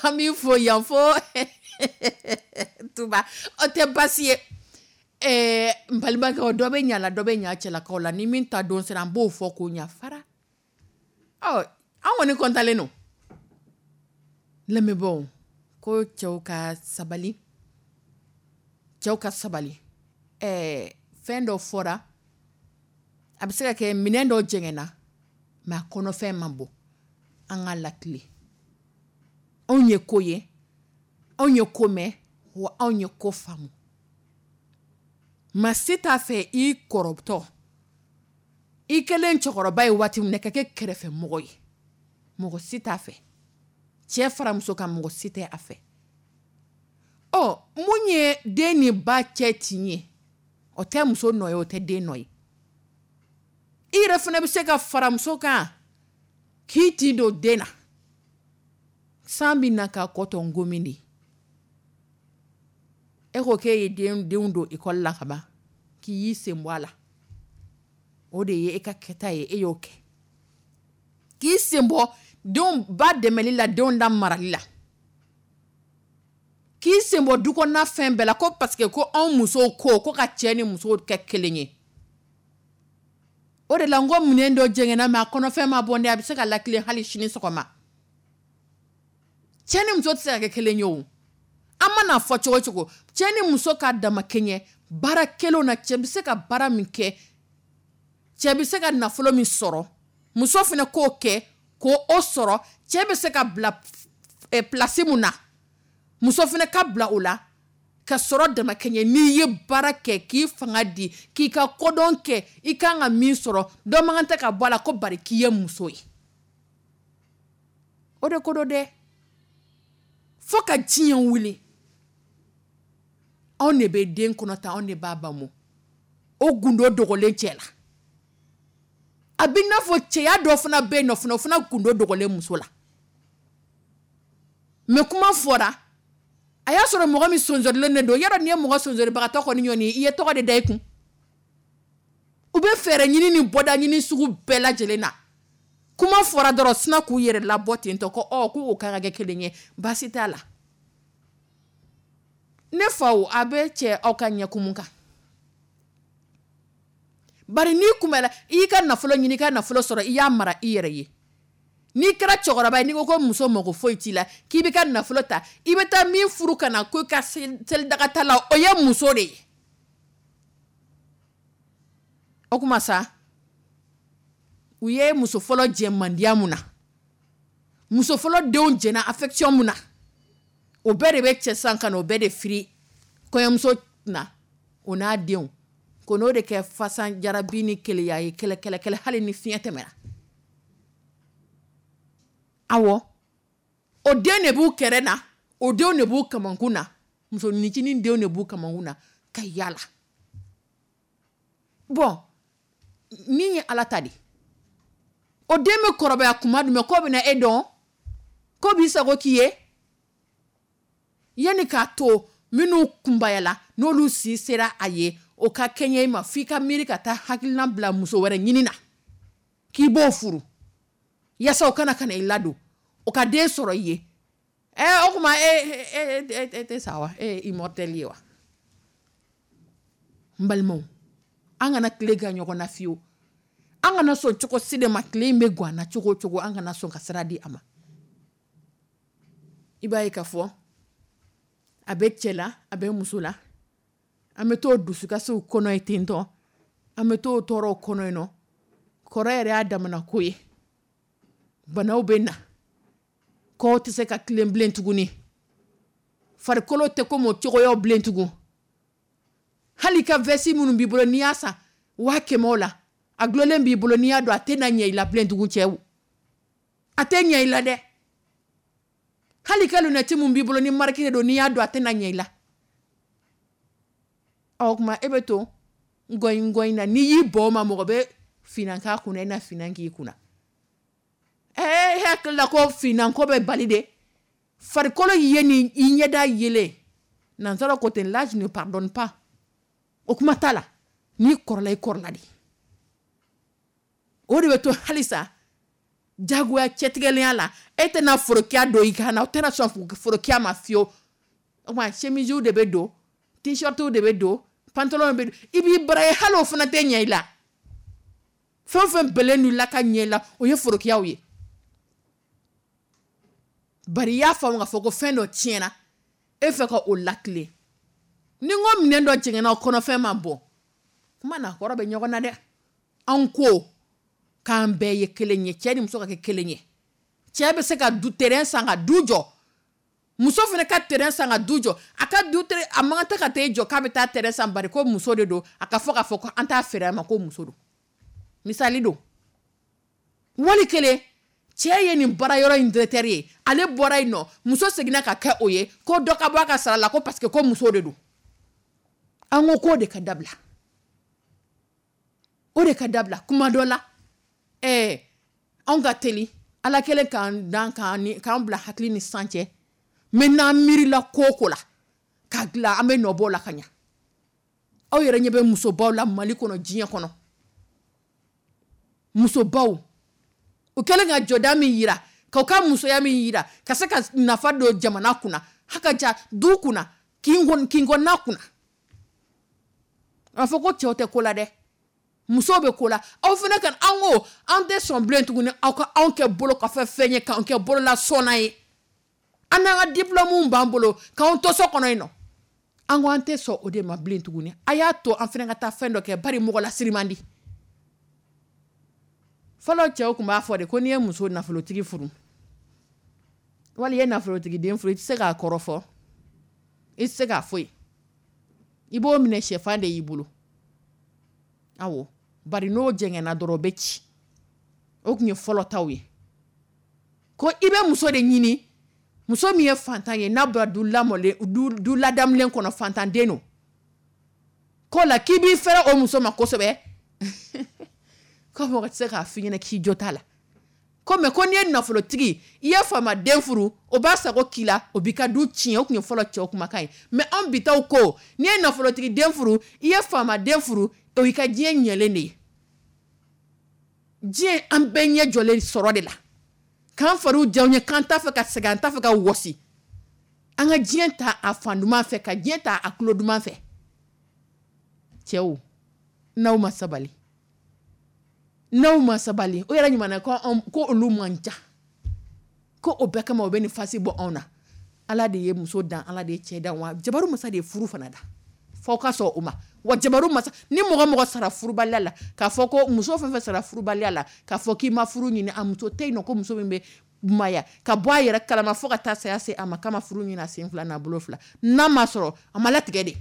an b'i fo yan fo Tuba. O tɛ baasi ye. Ɛɛ n balimakɛ, dɔ bɛ ɲa la, dɔ bɛ ɲa cɛlakaw la. Ni min ta don sera, an b'o fɔ k'o ɲa fara. Ɔ an kɔni kɔntalen don. Lamɛnbaaw, ko cɛw ka sabali, cɛw ka sabali. Ɛɛ fɛn dɔ fɔra, a bɛ se ka kɛ minɛn dɔ jɛngɛnna, mais a kɔnɔfɛn ma bɔ. An ka lakile, anw ye ko ye, anw ye ko mɛn, wa anw ye ko faamu. Maa si t'a fɛ i kɔrɔtɔ, i kɛlen cɛkɔrɔba ye waati min na, ka kɛ kɛrɛfɛ mɔgɔ ye. Mɔgɔ si t'a fɛ. Cɛ fara muso kan, mɔgɔ si tɛ a fɛ. Ɔ mun ye den ni ba cɛ tin ye? O tɛ muso nɔ ye, o tɛ den nɔ ye. I yɛrɛ fana bɛ se ka fara muso kan k'i tin don den na. San bɛ na k'a kɔ tɔ ngomi de. E ko k'e ye den denw don ekɔli la ka ban, k'i y'i sen bɔ a la. O de ye e ka kɛta ye, e y'o kɛ. K'i sen bɔ denw ba dɛmɛli la, denw da marali la. K'i sen bɔ du kɔnɔna fɛn bɛɛ la, ko parce que ko anw musow ko ko ka cɛ ni musow kɛ kelen ye. O de la n ko minɛn dɔ jɛngɛnna, mais a kɔnɔfɛn ma bɔ dɛ, a bɛ se ka lakile hali sini sɔgɔma. Cɛ ni muso tɛ se ka kɛ kelen ye o. An mana fɔ cogo cogo, cɛ ni muso ka dama kɛɲɛ baara kelenw na. Cɛ bɛ se ka baara min kɛ, cɛ bɛ se ka nafolo min sɔrɔ, muso fana k'o kɛ k'o o sɔrɔ. Cɛ bɛ se ka bila place mun na, muso fana ka bila o la ka sɔrɔ dama kɛɲɛ. N'i ye baara kɛ, k'i fanga di, k'i ka kodɔn kɛ, i kan ka min sɔrɔ, dɔ man kan tɛ ka bɔ a la ko bari k'i ye muso ye. O de ko don dɛ. Fo ka diɲɛ wuli, anw de bɛ den kɔnɔ ta, anw de b'a ba o gundo dogolen cɛ la. A bɛ n'a fɔ cɛya dɔ fana bɛ yen nɔ fana, o fana gundo dogolen muso la. Mais kuma fɔra, a y'a sɔrɔ mɔgɔ min sonsorilen de don. Yɔrɔ nin ye mɔgɔ sonsoribagatɔ kɔni ɲɔni ye, i ye tɔgɔ de da i kun. U bɛ fɛɛrɛ ɲini ni bɔda ɲini sugu bɛɛ lajɛlen na. Kuma fɔra dɔrɔn, sina k'u yɛrɛ labɔ ten tɔ ko ɔ k'u kan ka kɛ kelen ye, baasi t'a la. Ne faw, a bɛ cɛ aw ka ɲɛkumu kan. Bari n'i kunbɛla, i y'i ka nafolo ɲini, i ka nafolo sɔrɔ, i y'a mara i yɛrɛ ye. N'i kɛra cɛkɔrɔba ye, n'i ko ko muso mako foyi t'i la, k'i bɛ ka nafolo ta, i bɛ taa min furu ka na ko i ka selidaga ta la, o ye muso de ye. O kuma sa, u ye muso fɔlɔ jɛ mandiya mun na, muso fɔlɔ denw jɛna affection mun na, o bɛɛ de bɛ cɛ san ka na o bɛɛ de firi kɔɲɔmuso na, o n'a denw, ko n'o de kɛ fasan jarabi ni keleya ye, kɛlɛ kɛlɛ kɛlɛ hali ni fiɲɛ tɛmɛna. Awɔ, o den de b'u kɛrɛ na, o denw de b'u kamankun na. Musoninncinin denw de b'u kamankun na ka yaala. Bon, min ye Ala ta de, o den bɛ kɔrɔbaya kuma jumɛn k'o bɛna e dɔn, k'o b'i sago k'i ye? Yanni k'a to minnu kunbayala, n'olu si sera a ye, o ka kɛɲɛ i ma, f'i ka miiri ka taa hakilina bila muso wɛrɛ ɲini na k'i b'o furu, yaasa o kana ka na i ladon, o ka den sɔrɔ i ye. Ɛ, o tuma e e e e tɛ sa wa? E ye immortel ye wa? N balimaw, an kana tile gan ɲɔgɔn na fiyewu. An kana sɔn cogo si de ma, tile in bɛ gan an na cogo o cogo, an kana sɔn ka sira di a ma. I b'a ye k'a fɔ a bɛ cɛ la, a bɛ muso la, an bɛ t'o dusukasiw kɔnɔ ye ten tɔ, an bɛ t'o tɔɔrɔw kɔnɔ yen nɔ. Kɔrɔ yɛrɛ y'a damana ko ye, banaw bɛ na, kɔw tɛ se ka tilen bilen tuguni, farikolo tɛ komi o cogoyaw bilen tugun. Hali ka veste minnu b'i bolo, n'i y'a san waa kɛmɛ la, a dulonlen b'i bolo, n'i y'a don, a tɛ na ɲɛ i la bilen tugun. Cɛw, a tɛ ɲɛ i la dɛ. Hali ka lunette min b'i bolo, ni marque de don, n'i y'a don, a tɛ na ɲɛ i la. Ɔ, o tuma e bɛ to ngɔyi ngɔyi na. N'i y'i bɔ o ma, mɔgɔ bɛ finan k'a kunna, i na finan k'i kunna. Ɛɛ, e hakili la ko finan ko bɛ bali de? Farikolo ye ni i ɲɛda yelen, nansara ko ten, l'âge ne pardonne pas. O kuma t'a la, n'i kɔrɔla, i kɔrɔla de. O de bɛ to halisa jagoya cɛtigɛlenya la. E tɛna forokiya don i kan na, o tɛna sɔn forokiya ma fiyewu. O tuma chemisew de bɛ don, t-shirtw de bɛ don, pantalon bɛ don, i b'i bara ye, hali o fana tɛ ɲɛ i la. Fɛn o fɛn bɛlen don i la ka ɲɛ i la, o ye forokiyaw ye. Bari i y'a faamu k'a fɔ ko fɛn dɔ tiɲɛna e fɛ ka o latilen. Ni n ko minɛn dɔ jɛngɛnna, o kɔnɔfɛn ma bɔ, kuma n'a kɔrɔ bɛ ɲɔgɔn na dɛ. Anw ko k'an bɛɛ ye kelen ye, cɛ ni muso ka kɛ kelen ye. Cɛ bɛ se ka du terrain san ka du jɔ, muso fana ka terrain san ka du jɔ. A ka du a man kan tɛ ka t'e jɔ k'a bɛ taa terrain san, bari ko muso de don. A ka fɔ k'a fɔ ko an t'a feere a ma, ko muso don. Misali don. Wali kelen, cɛ ye nin baara yɔrɔ in directeur ye, ale bɔra yen nɔ, muso seginna ka kɛ o ye, ko dɔ ka bɔ a ka sara la, ko parce que ko muso de don. An ko k'o de ka dabila, o de ka dabila. Kuma dɔ la, ɛɛ, anw ka teli, Ala kɛlen k'an dan k'an k'an bila hakili ni san cɛ. Mais n'an miirila ko o ko la k'a dilan, an bɛ nɔ bɔ o la ka ɲa. Aw yɛrɛ ɲɛ bɛ musobaw la Mali kɔnɔ, diɲɛ kɔnɔ, musobaw u kɛlen ka jɔda min yira, k'u ka musoya min yira, ka se ka nafa don jamana kunna, haka ja du kunna, kin kɔnɔna kunna. A fɔ ko cɛw tɛ ko la dɛ, musow bɛ ko la. Aw fana ka, an ko an tɛ sɔn bilen tuguni aw ka anw kɛ bolo kɔfɛ fɛn ye, k'anw kɛ bolola sɔnna ye. An n'an ka diplôme b'an bolo k'anw to so kɔnɔ yen nɔ. An ko an tɛ sɔn o de ma bilen tuguni. A y'a to an fana ka taa fɛn dɔ kɛ, bari mɔgɔ lasiri man di. Fɔlɔ cɛw tun b'a fɔ de ko n'i ye muso nafolotigi furu, wali i ye nafolotigi den furu, i tɛ se k'a kɔrɔfɔ, i tɛ se k'a foyi, i b'o minɛ sɛfan de y'i bolo. Awɔ, bari n'o jɛngɛnna dɔrɔn, o bɛ ci. O tun ye fɔlɔ taw ye, ko i bɛ muso de ɲini, muso min ye fantan ye, n'a bɔra du lamɔlen, du du ladamulen kɔnɔ, fantanden don, ko la k'i b'i fɛrɛ o muso ma kosɛbɛ, ko mɔgɔ tɛ se k'a f'i ɲɛna k'i jo t'a la. Ko mɛ ko n'i ye nafolotigi, i ye faamaden furu, o b'a sago k'i la, o b'i ka du tiɲɛ. O tun ye fɔlɔ cɛw kumakan ye. Mɛ anw bi taw ko n'i ye nafolotigi den furu, i ye faamaden furu, o y'i ka diɲɛ ɲɛlen de ye. Diɲɛ, an bɛɛ ɲɛ jɔlen sɔrɔ de la, k'an fariw diya ye, k'an t'a fɛ ka sɛgɛn, an t'a fɛ ka wɔsi. An ka diɲɛ ta a fan duman fɛ, ka diɲɛ ta a tulo duman fɛ. Cɛw, n'aw ma sabali, n'aw ma sabali, o yɛrɛ ɲuman ko ko olu man ca, ko o bɛɛ kama o bɛ nin fasi bɔ anw na. Ala de ye muso dan, Ala de ye cɛ dan, wa jabaru masa de ye furu fana da, f'aw ka sɔn o ma. Wa jabaru masa, ni mɔgɔ mɔgɔ sara furubaliya la, k'a fɔ ko muso fɛn fɛn sara furubaliya la, k'a fɔ k'i ma furu ɲini, a muso tɛ yen nɔ ko muso min bɛ maya ka bɔ a yɛrɛ kalama fo ka taa saya se a ma k'a ma furu ɲini a sen fila n'a bolo fila, n'a ma sɔrɔ, a ma latigɛ de.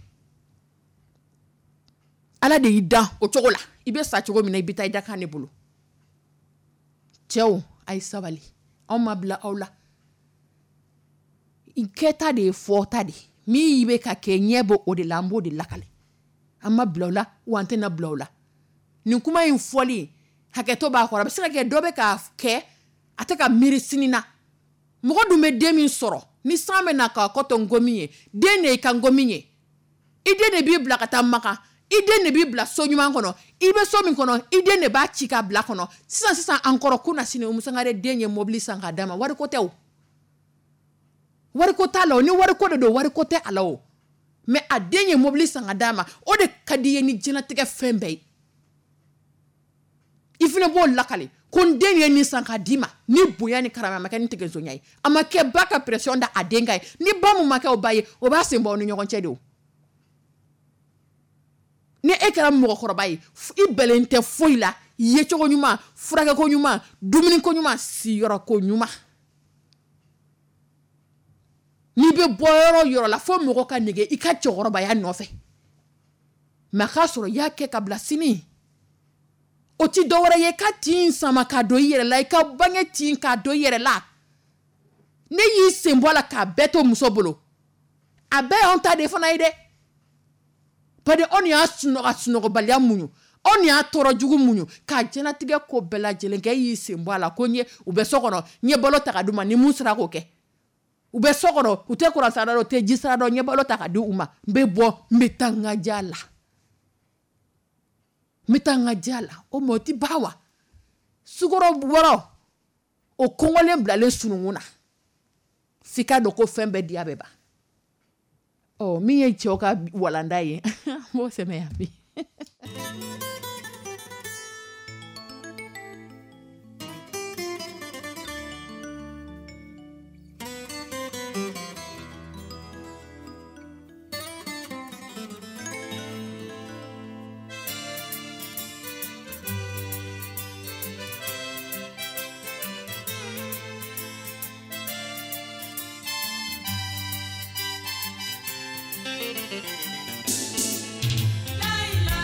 Ala de y'i dan o cogo la, i bɛ sa cogo min na, i bɛ taa i da kan de bolo. Cɛw, a ye sabali, anw ma bila aw la. Kɛta de ye fɔta de ye. Min bɛ ka kɛ ɲɛ bɔ o de la, an b'o de lakale. An ma bila o la, wa an tɛna bila o la. Nin kuma in fɔli, hakɛto b'a kɔrɔ. A bɛ se ka kɛ dɔ bɛ k'a kɛ, a tɛ ka miiri sini na. Mɔgɔ dun bɛ den min sɔrɔ, ni san bɛ na k'a kɔ to nkomi ye, den de y'i ka nkomi ye. I den de b'i bila ka taa Makan, i den de b'i bila so ɲuman kɔnɔ, i bɛ so min kɔnɔ, i den de b'a ci k'a bila kɔnɔ. Sisan sisan an kɔrɔ kunasini Umu Sangare den ye mobili san k'a d'a ma, wariko tɛ o. Wariko t'a la o, ni wariko de don, wariko tɛ a la o. Mais a den ye mobili san ka d'a ma, o de ka di i ye ni diɲɛlatigɛ fɛn bɛɛ ye. I fana b'o lakale ko n den ye nin san k'a d'i ma ni bonya ni karama, a ma kɛ ni tigɛsonya ye, a ma kɛ ba ka pression da a den kan ye. Ni ba mun ma kɛ o ba ye, o b'a sen bɔ aw ni ɲɔgɔn cɛ de o. Ni e kɛra mɔgɔkɔrɔba ye, i bɛlen tɛ foyi la, yecogo ɲuman, furakɛko ɲuman, dumuniko ɲuman, siyɔrɔko ɲuman. N'i bɛ bɔ yɔrɔ o yɔrɔ la, fo mɔgɔ ka nege i ka cɛkɔrɔbaya nɔfɛ. Mais a k'a sɔrɔ i y'a kɛ ka bila sini. O ti dɔwɛrɛ ye ka tin sama ka don i yɛrɛ la, i ka bange tin ka don i yɛrɛ la. Ne y'i sen bɔ a la k'a bɛɛ to muso bolo. A bɛɛ y'anw ta de fana ye dɛ. Bari anw y'a sunɔgɔ sunɔgɔbaliya muɲu, anw y'a tɔɔrɔ jugu muɲu, k'a diɲɛlatigɛ ko bɛɛ lajɛlen kɛ. E y'i sen bɔ a la ko n ye u bɛ so kɔnɔ, n ye balo ta ka d'u ma, ni mun sera k'o kɛ. U bɛ so kɔnɔ, u tɛ kuran sara dɔn, u tɛ ji sara dɔn, n ye balo ta ka di u ma, n bɛ bɔ, n bɛ taa n ka diya la. N bɛ taa n ka diya la. O ma o ti ban wa? Sukaro wɔrɔ, o kɔngɔlen bilalen sununkun na. F'i k'a dɔn ko fɛn bɛɛ diya bɛ ban. Ɔ, min ye cɛw ka walanda ye, an b'o sɛmɛ yan bi. La la,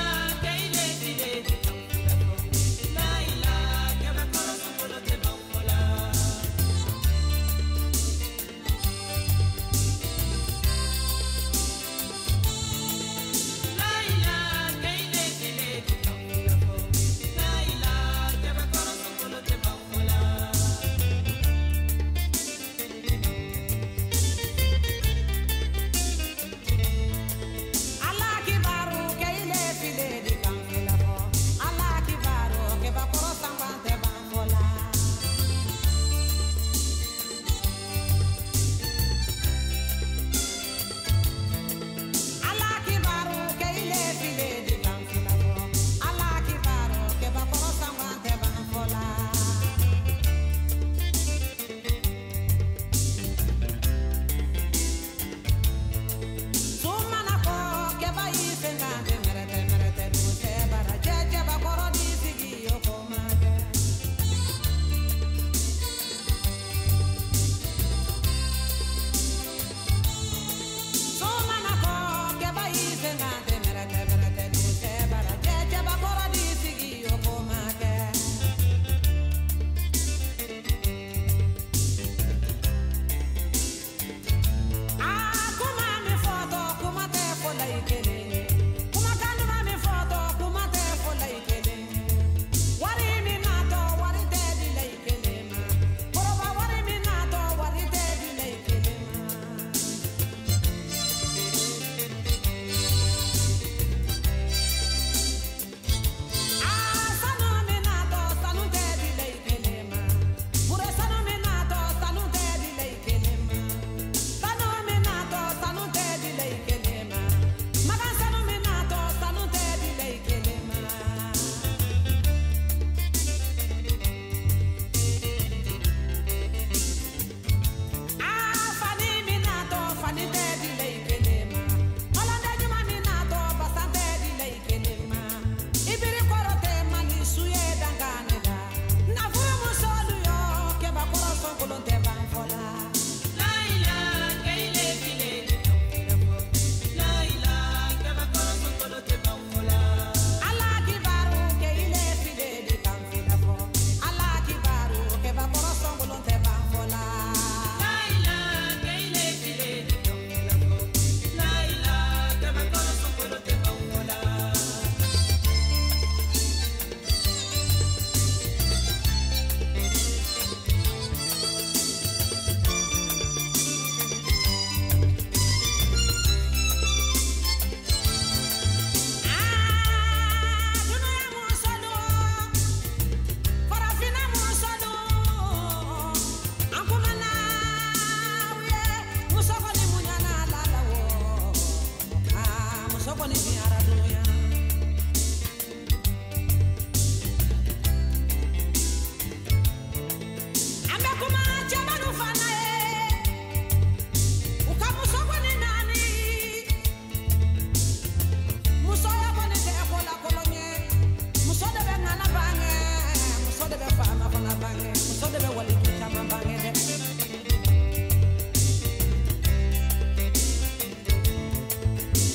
bange, muso de bɛ waliju caman bange dɛ.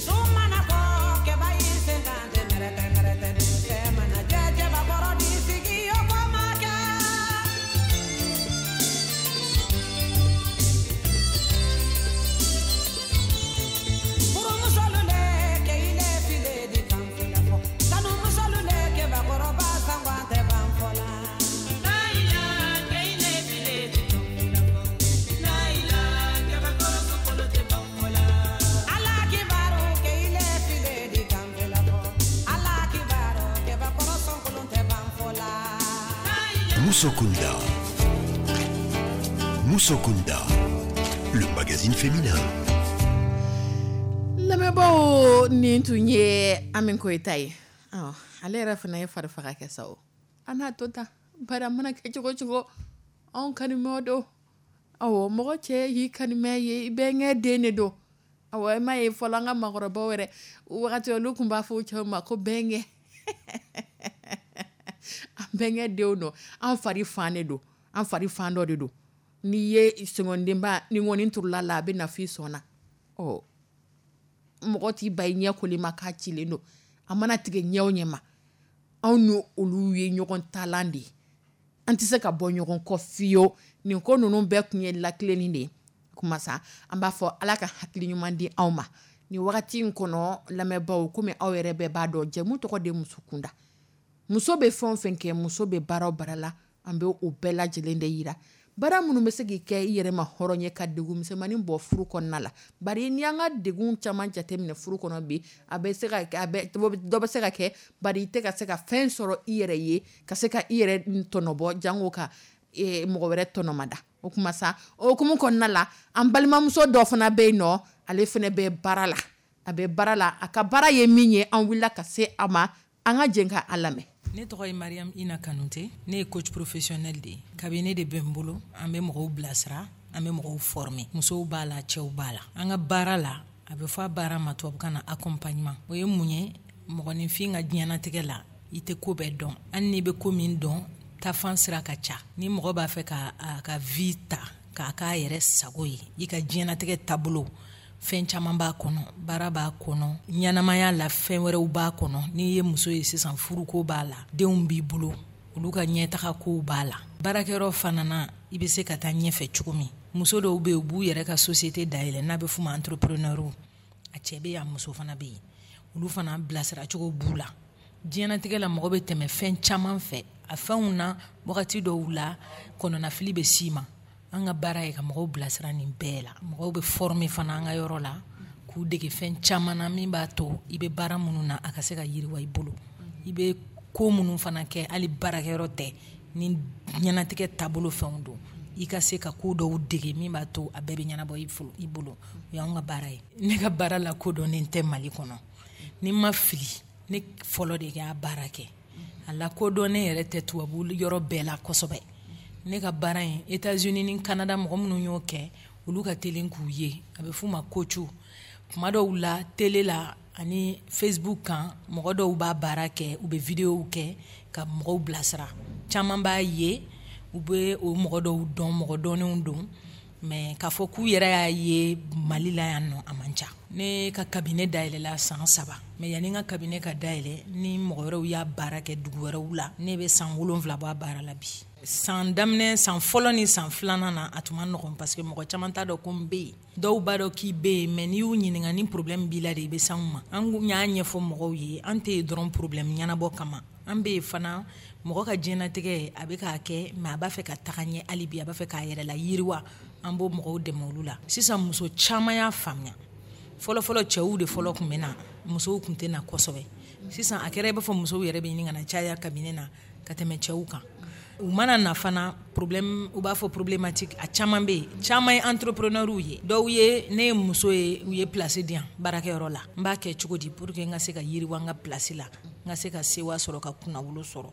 Sumana ko kɛba y'i sen kan tɛ mɛrɛtɛ mɛrɛtɛ, dugusɛ mana jɛ cɛbakɔrɔ b'i sigi o ko ma kɛ. Furumusolu le kɛ ile file di kan fila fɔ, sanumumusolu le kɛbakɔrɔba sangwan tɛ ban fɔ la. Laila, kɛ ile file di kan fila fɔ. Laila, kɛbakɔrɔ sokolo tɛ ban fɔ la. Ala kibaru kɛ ile file di kan fila fɔ. Ala kibaru kɛbakɔrɔ sɔnkolon tɛ ban fɔ la. Musokunda. Musokunda, le magazine féminin. Lamɛnbaaw, nin tun ye Ami Koyita ye. Ɔ, ale yɛrɛ fana ye fari faga kɛ sa o. An n'a to tan, bari a mana kɛ cogo cogo, anw kanimɛw don. Awɔ, mɔgɔ cɛ y'i kanimɛ ye, i bɛnkɛ den de don. Awɔ, e m'a ye fɔlɔ an ka maakɔrɔbaw yɛrɛ wagati olu tun b'a fɔ u cɛw ma ko bɛnkɛ. An bɛnkɛ denw don, an fari fan de don, an fari fan dɔ de don. N'i ye sɔngɔndenba ni ŋɔni turula la, a bɛ na f'i sɔn na. Ɔ, mɔgɔ t'i ba i ɲɛ koli ma k'a cilen don, a mana tigɛ ɲɛ o ɲɛ ma, anw ni olu ye ɲɔgɔn talan de ye, an tɛ se ka bɔ ɲɔgɔn kɔ fiyewu. Nin ko ninnu bɛɛ tun ye lakilenni de ye. Kuma sa, an b'a fɔ Ala ka hakili ɲuman di anw ma nin wagati in kɔnɔ. Lamɛnbaaw, komi aw yɛrɛ bɛɛ b'a dɔn, jɛmu tɔgɔ de muso kunda. Muso bɛ fɛn o fɛn kɛ, muso bɛ baara o baara la, an bɛ o bɛɛ lajɛlen de yira. Baara minnu bɛ se k'i kɛ i yɛrɛ ma hɔrɔn ye, ka degun misɛnmanin bɔ furu kɔnɔna la. Bari n'i y'an ka degun caman jateminɛ furu kɔnɔ bi, a bɛ se ka kɛ, a bɛ dɔ bɛ se ka kɛ, bari i tɛ ka se ka fɛn sɔrɔ i yɛrɛ ye, ka se ka i yɛrɛ tɔnɔbɔ, jango ka eh, mɔgɔ wɛrɛ tɔnɔmada. O kuma sa, o hukumu kɔnɔna la, an balimamuso dɔ fana bɛ yen nɔ, ale fana bɛ baara la. A bɛ baara la, a ka baara ye min ye, an wulila ka se a ma, an ka jɛn ka a lamɛn. Ne tɔgɔ ye Mariam Ina Kanute, ne ye coach professionnel de ye. Cabinet de bɛ n bolo, an bɛ mɔgɔw bilasira, an bɛ mɔgɔw former. Musow b'a la, cɛw b'a la. An ka baara la, a bɛ fɔ a baara ma tubabukan na accompagnement. O ye mun ye? Mɔgɔninfin ka diɲɛnatigɛ la, i tɛ ko bɛɛ dɔn. Hali n'i bɛ ko min dɔn, taafan sira ka ca. Ni mɔgɔ b'a fɛ ka a ka vie ta k'a k'a yɛrɛ sago ye, i ka diɲɛnatigɛ taabolo, fɛn caman b'a kɔnɔ, baara b'a kɔnɔ, ɲɛnamaya la fɛn wɛrɛw b'a kɔnɔ. N'i ye muso ye sisan, furuko b'a la, denw b'i bolo, olu ka ɲɛtaga kow b'a la. Baarakɛyɔrɔ fana na, i bɛ se ka taa ɲɛfɛ cogo min. Muso dɔw bɛ yen, u b'u yɛrɛ ka société dayɛlɛ, n'a bɛ f'u ma entrepreneur. A cɛ bɛ yen, a muso fana bɛ yen, olu fana bilasiracogo b'u la. Diɲɛnatigɛ la, mɔgɔ bɛ tɛmɛ fɛn caman fɛ. A fɛnw na, wagati dɔw la, kɔnɔnafili bɛ s'i ma. An ka baara ye ka mɔgɔw bilasira nin bɛɛ la. Mɔgɔw bɛ former fana an ka yɔrɔ la, k'u dege fɛn caman na min b'a to i bɛ baara minnu na, a ka se ka yiriwa i bolo. I bɛ ko minnu fana kɛ, hali baarakɛyɔrɔ tɛ, ni diɲɛnatigɛ taabolo fɛnw don, i ka se ka ko dɔw dege min b'a to a bɛɛ bɛ ɲɛnabɔ i bolo. O y'anw ka baara ye. Ne ka baara la kodɔnnen tɛ Mali kɔnɔ. Ni n ma fili, ne fɔlɔ de y'a baara kɛ. A lakodɔnnen yɛrɛ tɛ tubabu yɔrɔ bɛɛ la kosɛbɛ. Ne ka baara in, États-Unis ni Canada mɔgɔ minnu y'o kɛ, olu ka teli k'u ye. A bɛ f'u ma coach. Kuma dɔw la, télé la ani Facebook kan, mɔgɔ dɔw b'a baara kɛ, u bɛ vidéo kɛ ka mɔgɔw bilasira. Caman b'a ye, u bɛ o mɔgɔ dɔw dɔn, mɔgɔ dɔnnenw don, mais k'a fɔ k'u yɛrɛ y'a ye Mali la yan nɔ, a man ca. Ne ka cabinet dayɛlɛla san saba, mais yanni n ka cabinet ka dayɛlɛ, ni mɔgɔ wɛrɛw y'a baara kɛ dugu wɛrɛw la, ne bɛ san wolonwula bɔ a baara la bi. San daminɛ, san fɔlɔ ni san filanan na, a tun ma nɔgɔn, parce que mɔgɔ caman t'a dɔn ko n bɛ yen. Dɔw b'a dɔn k'i bɛ yen, mais n'i y'u ɲininka ni problème b'i la de, i bɛ s'anw ma. An y'a ɲɛfɔ mɔgɔw ye, an tɛ yen dɔrɔn problème ɲɛnabɔ kama. An bɛ yen fana, mɔgɔ ka diɲɛnatigɛ a bɛ k'a kɛ, mais a b'a fɛ ka taga ɲɛ hali bi, a b'a fɛ k'a yɛrɛ la yiriwa, an b'o mɔgɔw dɛmɛ olu la. Sisan muso caman y'a faamuya. Fɔlɔfɔlɔ, cɛw de fɔlɔ tun bɛ na, musow tun tɛ na kosɛbɛ. Sisan a kɛra i b'a fɔ musow yɛrɛ bɛ ɲini ka na caya cabinet na ka tɛmɛ cɛw kan. U mana na fana, problème, u b'a fɔ problématique, a caman bɛ yen. Caman ye entrepreneur ye. Dɔw ye, ne ye muso ye, u ye place di yan baarakɛyɔrɔ la, n b'a kɛ cogo di pour que n ka se ka yiriwa n ka place la, n ka se ka sewa sɔrɔ, ka kunnawolo sɔrɔ?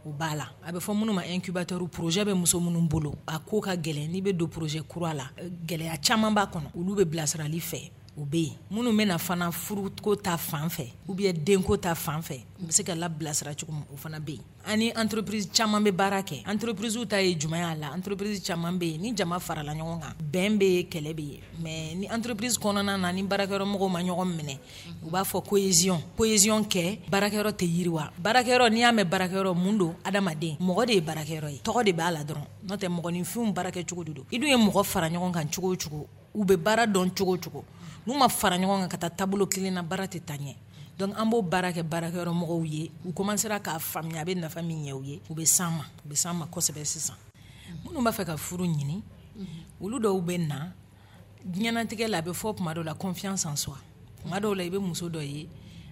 O b'a la. A bɛ fɔ minnu ma incubateur, projet bɛ muso minnu bolo, a ko ka gɛlɛn. N'i bɛ don projet kura la, gɛlɛya caman b'a kɔnɔ. Olu bɛ bilasirali fɛ. O bɛ yen. Minnu bɛna fana furuko ta fan fɛ ou bien denko ta fan fɛ, u bɛ se ka labilasira cogo min, o fana bɛ yen. Ani entreprise caman bɛ baara kɛ. Entreprise ta ye jumɛn y'a la? Entreprise caman bɛ yen, ni jama farala ɲɔgɔn kan, bɛn bɛ yen, kɛlɛ bɛ yen. Mais ni entreprise kɔnɔna na, ni baarakɛyɔrɔ mɔgɔw ma ɲɔgɔn minɛ, u b'a fɔ cohésion, cohésion kɛ, baarakɛyɔrɔ tɛ yiriwa. Baarakɛyɔrɔ, n'i y'a mɛn baarakɛyɔrɔ, mun don? Adamaden, mɔgɔ de ye baarakɛyɔrɔ ye, tɔgɔ de b'a la dɔrɔn, n'o tɛ mɔgɔninfinw baarakɛcogo de don. I dun ye mɔgɔ fara ɲɔgɔn kan cogo o cogo, u bɛ baara dɔn cogo o cogo, n'u ma fara ɲɔgɔn kan ka taa taabolo kelen na, baara tɛ taa ɲɛ. Donc an b'o baara kɛ baarakɛyɔrɔ mɔgɔw ye. U commencera k'a faamuya, a bɛ nafa min ɲɛ u ye, u bɛ s'an ma, u bɛ s'an ma kosɛbɛ. Sisan minnu b'a fɛ ka furu ɲini, olu dɔw bɛ na diɲɛnatigɛ la. A bɛ fɔ tuma dɔw la confiance en soi. Tuma dɔw la, i bɛ muso dɔ ye,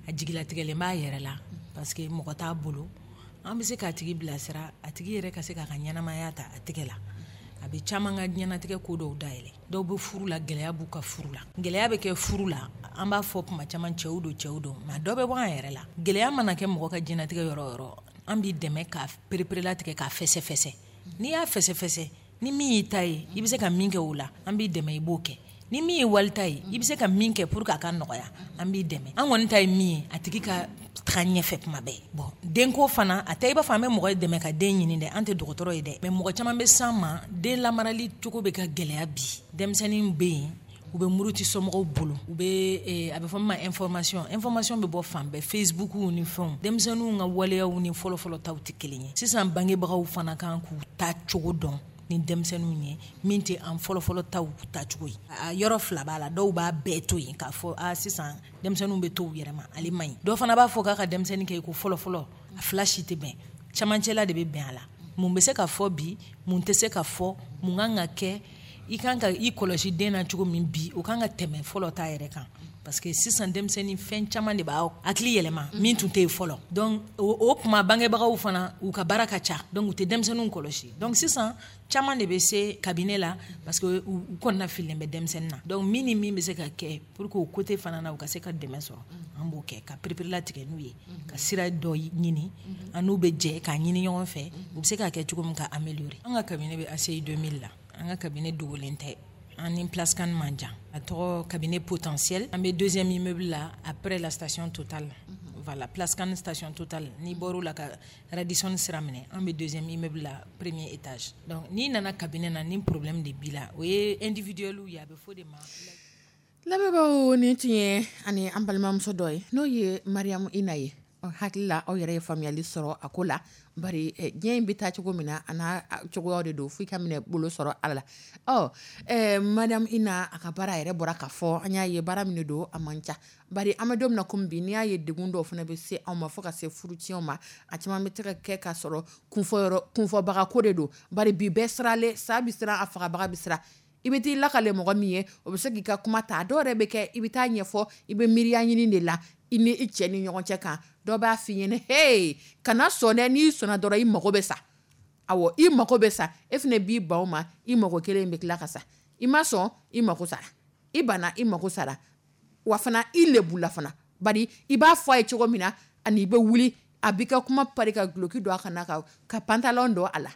a jigilatigɛlen b'a yɛrɛ la parce que mɔgɔ t'a bolo. An bɛ se k'a tigi bilasira, a tigi yɛrɛ ka se k'a ka ɲɛnamaya ta a tɛgɛ la. A bɛ caman ka diɲɛnatigɛ ko dɔw dayɛlɛ. Dɔw bɛ furu la, gɛlɛya b'u ka furu la. Gɛlɛya bɛ kɛ furu la, an b'a fɔ tuma caman cɛw don, cɛw don, mais dɔ bɛ bɔ an yɛrɛ la. Gɛlɛya mana kɛ mɔgɔ ka diɲɛnatigɛ yɔrɔ o yɔrɔ, an b'i dɛmɛ ka pereperelatigɛ, k'a fɛsɛfɛsɛ. N'i y'a fɛsɛfɛsɛ, ni min y'i ta ye, i bɛ se ka min kɛ o la, an b'i dɛmɛ, i b'o kɛ. Ni min ye walita ye, i bɛ se ka min kɛ pour que a ka nɔgɔya, an b'i dɛmɛ. An kɔni ta ye min ye, a tigi ka taga ɲɛfɛ tuma bɛɛ. Bon, denko fana, a tɛ i b'a fɔ an bɛ mɔgɔ dɛmɛ ka den ɲini dɛ, an tɛ dɔgɔtɔrɔ ye dɛ. Mais mɔgɔ caman bɛ s'an ma, den lamarali cogo bɛ ka gɛlɛya bi. Denmisɛnnin bɛ yen, u bɛ muruti somɔgɔw bolo, u bɛ, a bɛ fɔ min ma information. Information bɛ bɔ fan bɛɛ, Facebook ni fɛnw. Denmisɛnninw ka waleyaw ni fɔlɔfɔlɔ taw tɛ kelen ye. Sisan bangebagaw fana kan k'u ta cogo dɔn ni denmisɛnninw ye, min tɛ an fɔlɔfɔlɔ taw tacogo ye. A yɔrɔ fila b'a la. Dɔw b'a bɛɛ to yen k'a fɔ a sisan denmisɛnninw bɛ to u yɛrɛ ma, ale man ɲi. Dɔw fana b'a fɔ k'a ka denmisɛnnin kɛ i ko fɔlɔfɔlɔ. A fila si tɛ bɛn, camancɛla de bɛ bɛn a la. Mun bɛ se ka fɔ bi, mun tɛ se ka fɔ, mun kan ka kɛ, i kan ka i kɔlɔsi den na cogo min bi, o kan ka tɛmɛ fɔlɔ ta yɛrɛ kan, parce que sisan denmisɛnnin, fɛn caman de b'a hakili yɛlɛma min tun tɛ yen fɔlɔ. Donc o tuma bangebagaw fana, u ka baara ka ca, donc u tɛ denmisɛnninw kɔlɔsi. Donc sisan caman de bɛ se cabinet la parce que u kɔnɔna fililen bɛ denmisɛnnin na. Donc min ni min bɛ se ka kɛ pour que o côté fana na, u ka se ka dɛmɛ sɔrɔ, an b'o kɛ ka pereperelatigɛ n'u ye, ka sira dɔ ɲini, an n'u bɛ jɛ k'a ɲini ɲɔgɔn fɛ, u bɛ se k'a kɛ cogo min ka améliorer. An ka cabinet bɛ A C I deux mille la. An ka cabinet dogolen tɛ, an ni Place Cannes man jan. A tɔgɔ cabinet Potentiel. An bɛ deuxième immeuble la, après la station Total. Voilà, Place Cannes, station Total, n'i bɔr'o la ka Radisson sira minɛ, an bɛ deuxième immeuble la, premier étage. Donc n'i nana cabinet na, ni problème de b'i la, o ye individuel ye, a bɛ fɔ de ma. Lamɛnbaaw, nin tun ye ani an balimamuso dɔ ye, n'o ye Mariam Ina ye. Hakili la, aw yɛrɛ ye faamuyali sɔrɔ a ko la. Bari diɲɛ in bɛ taa cogo min na, a n'a cogoyaw de don, fo i ka minɛ bolo sɔrɔ ala la. Ɔ ɛɛ Mariam Ina, a ka baara yɛrɛ bɔra k'a fɔ, an y'a ye baara min don, a man ca. Bari an bɛ don min na komi bi, n'i y'a ye degun dɔw fana bɛ se anw ma fo ka se furutiɲɛw ma, a caman bɛ se ka kɛ k'a sɔrɔ kunfɔ kunfɔbaga ko de don. Bari bi bɛɛ siralen, sa bɛ siran, a fagabaga bɛ siran. I bɛ t'i lakale mɔgɔ min ye, o bɛ se k'i ka kuma ta. Dɔw yɛrɛ bɛ kɛ, i bɛ taa ɲɛfɔ, i bɛ miiriya ɲini de la i ni i cɛ ni ɲɔgɔn cɛ kan. Dɔ b'a f'i ɲɛna, hey, kana sɔn dɛ, n'i sɔnna dɔrɔn i mago bɛ sa. Awɔ, i mago bɛ sa. E fana b'i ban o ma, i mago kelen bɛ tila ka sa. I ma sɔn, i mago sara. I banna, i mago sara. Wa fana i lebula fana. Bari i b'a fɔ a ye cogo min na, ani i bɛ wuli, a b'i ka kuma pari ka guloki don a kana, ka ka pantalon don a la,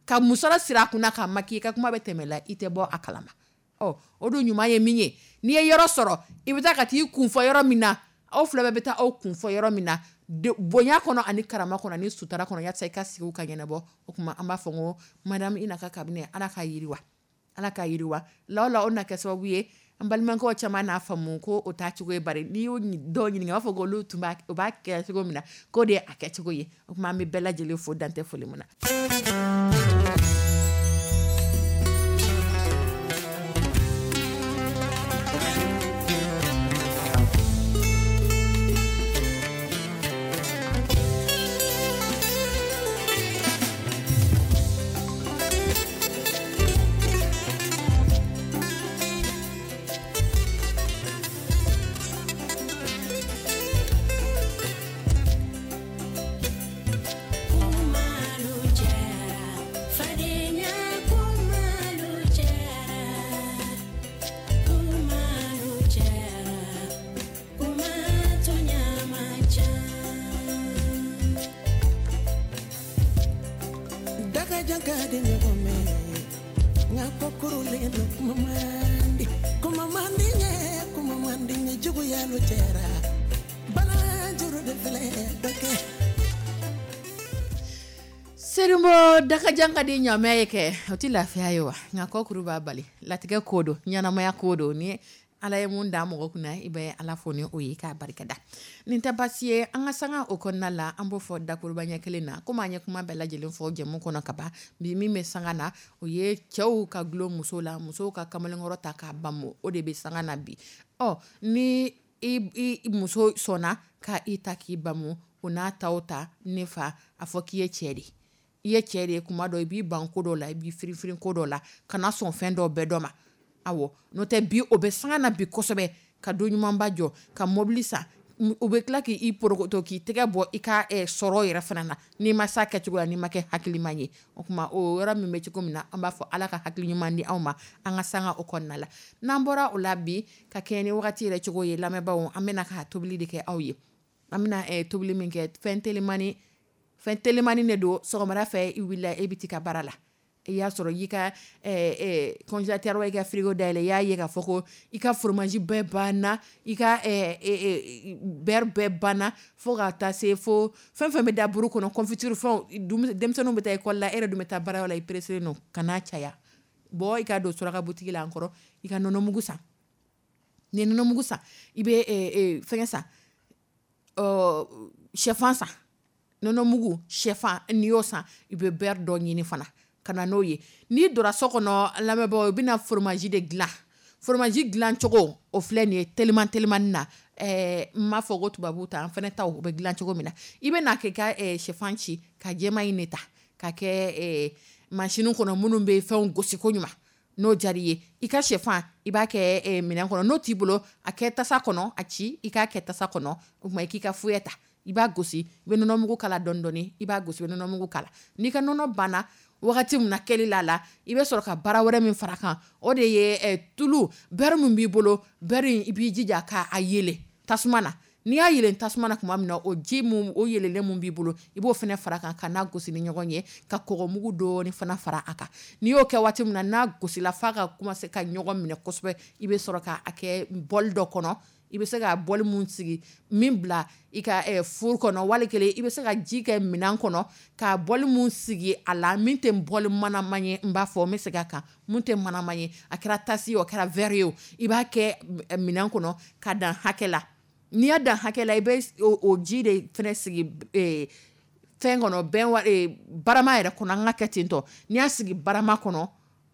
ka musɔrɔ siri a kunna k'a maki, i ka kuma bɛ tɛmɛ la, i tɛ bɔ a kalama. Ɔ o dun ɲuman ye min ye, n'i ye yɔrɔ sɔrɔ, i bɛ taa ka t'i kun fɔ yɔrɔ min na, aw fila bɛɛ bɛ taa aw kun fɔ yɔrɔ min na, bonya kɔnɔ ani karama kɔnɔ ani sutara kɔnɔ, yaasa i ka sigi ka ɲɛnabɔ. O tuma an b'a fɔ ko Madame Ina ka cabinet, Ala ka yiriwa, Ala ka yiriwa. La o la, o na kɛ sababu ye an balimakɛw caman n'a faamu ko o t'a cogo ye. Bari n'i y'o dɔw ɲininka, u b'a fɔ ko olu tun b'a o b'a kɛ cogo min na, k'o de ye a kɛcogo ye. O tuma an bɛ bɛɛ lajɛlen fo, dan tɛ foli min na. man di n ye juguya lo cɛra balanjuru de filɛ dɔ kɛ. Selinbo dakajan ka di ɲamɛ ye kɛ o tɛ lafiya ye wa, nka kɔkuru b'a bali. Latigɛ ko don, ɲɛnamaya ko don, ni Ala ye mun da mɔgɔ kunna i bɛ Ala fo ni o ye k'a barikada. Nin tɛ baasi ye, an ka sanga o kɔnɔna la, an b'o fɔ dakuruba ɲɛ kelen na komi an ye kuma bɛɛ lajɛlen fɔ jɛmu kɔnɔ ka ban. Bi min bɛ sanga na, o ye cɛw ka gulon muso la, musow ka kamalenkɔrɔ ta k'a bamu, o de bɛ sanga na bi. Ɔ ni i, i muso sɔnna ka i ta k'i bamu, o n'a taw ta ne fa, a fɔ k'i ye cɛ de ye. I ye cɛ de ye kuma dɔ, i b'i ban ko dɔ la, i b'i firinfirin ko dɔ la, kana sɔn fɛn dɔ bɛɛ dɔ ma. Awɔ, n'o tɛ bi o bɛ sanga na bi kosɛbɛ, ka don ɲumanba jɔ, ka mobili san, u bɛ tila k'i porokoto k'i tɛgɛ bɔ i ka sɔrɔ yɛrɛ fana na, n'i ma s'a kɛcogo la, n'i ma kɛ hakilima ye. O tuma o yɔrɔ min bɛ cogo min na, an b'a fɔ Ala ka hakili ɲuman di anw ma, an ka sanga o kɔnɔna la. N'an bɔra o la bi, ka kɛɲɛ ni wagati yɛrɛ cogo ye, lamɛnbaaw, an bɛna ka tobili de kɛ aw ye. An bɛna tobili min kɛ, fɛn telimani, fɛn telimani de don. Sɔgɔmada fɛ i wulila, e bɛ t'i ka baara la, i y'a sɔrɔ i ka congélateur i ka frigo dayɛlɛ, i y'a ye k'a fɔ ko i ka fromage bɛɛ banna, i ka beurre bɛɛ banna, fo ka taa se fo fɛn fɛn bɛ da buru kɔnɔ, confiture fɛnw, denmisɛnninw bɛ taa école la, e yɛrɛ dun bɛ taa baarayɔrɔ la, i pressé don, kan'a caya. Bɔ i ka don suraka boutique la an kɔrɔ, i ka nɔnɔmugu san. N'i ye nɔnɔmugu san, i bɛ fɛngɛ san, sɛfan san, nɔnɔmugu sɛfan, n'i y'o san, i bɛ beurre dɔ ɲini fana ka na n'o ye. N'i donna so kɔnɔ lamɛnbaaw, i bɛna fromage de dilan. Fromage dilan cogo o filɛ nin ye teliman telimani na. Ɛɛ n m'a fɔ ko tubabuw ta, an fana taw o bɛ dilan cogo min na. I bɛ na k'i ka sɛfan ci, ka jɛman in de ta ka kɛ machine kɔnɔ minnu bɛ fɛnw gosi ko ɲuman. N'o diyara i ye, i ka sɛfan i b'a kɛ minɛn kɔnɔ, n'o t'i bolo a kɛ tasa kɔnɔ, a ci i k'a kɛ tasa kɔnɔ. O tuma i k'i ka fouet ta, i b'a gosi, i bɛ nɔnɔmugu k'a la dɔɔni dɔɔni, i b'a gosi, i bɛ nɔnɔmugu k'a la. N'i ka nɔnɔ banna wagati min na kɛli la la, i bɛ sɔrɔ ka baara wɛrɛ min fara kan, o de ye tulu beurre min b'i bolo, beurre in i b'i jija k'a yelen tasuma na. N'i y'a yelen tasuma na tuma min na, o ji mun, o yelelen mun b'i bolo, i b'o fana fara kan ka n'a gosi ni ɲɔgɔn ye, ka kɔgɔmugu dɔɔni fana fara a kan. N'i y'o kɛ waati min na, n'a gosila f'a ka commencer ka ɲɔgɔn minɛ kosɛbɛ, i bɛ sɔrɔ k'a kɛ bol dɔ kɔnɔ. I bɛ se ka bol mun sigi, min bila i ka four kɔnɔ, wali kelen i bɛ se ka ji kɛ minɛn kɔnɔ ka bol mun sigi a la, min tɛ bol manama ye, n b'a fɔ n bɛ segin a kan, mun tɛ manama ye, a kɛra tasi ye o, a kɛra verre ye o, i b'a kɛ minɛn kɔnɔ ka dan hakɛ la. N'i y'a dan hakɛ la, i bɛ o ji de fɛnɛ sigi fɛn kɔnɔ, bɛn barama yɛrɛ kɔnɔ, an ka kɛ ten tɔ. N'i y'a sigi barama kɔnɔ,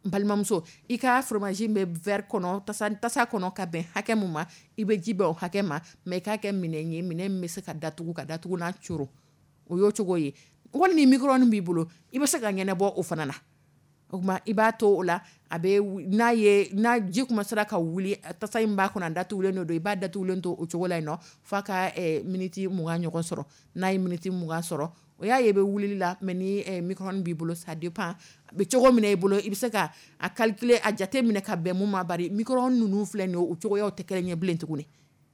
n balimamuso, i ka fromage bɛ verre kɔnɔ, tasa tasa kɔnɔ ka bɛn hakɛ mun ma, i bɛ ji bɛn o hakɛ ma, mais i k'a kɛ minɛn ye, minɛn min bɛ se ka datugu, ka datugu n'a coro, o y'o cogo ye. Wali ni micro-ondes b'i bolo, i bɛ se ka ɲɛnabɔ o fana na. O tuma i b'a to o la, a bɛ n'a ye, n'a ji commencera ka wuli, tasa in b'a kɔnɔ, a datugulen don, i b'a datugulen to o cogo la yen nɔ f'a ka miniti mugan ɲɔgɔn sɔrɔ. N'a ye miniti mugan sɔrɔ, o y'a ye i bɛ wulili la, mais ni micro-ondes b'i bolo, ça dépend a bɛ cogo min na i bolo, i bɛ se ka a calculer, a jate minɛ ka bɛn mun ma. Bari micro-ondes ninnu filɛ nin ye, o cogoyaw tɛ kelen ye bilen tuguni.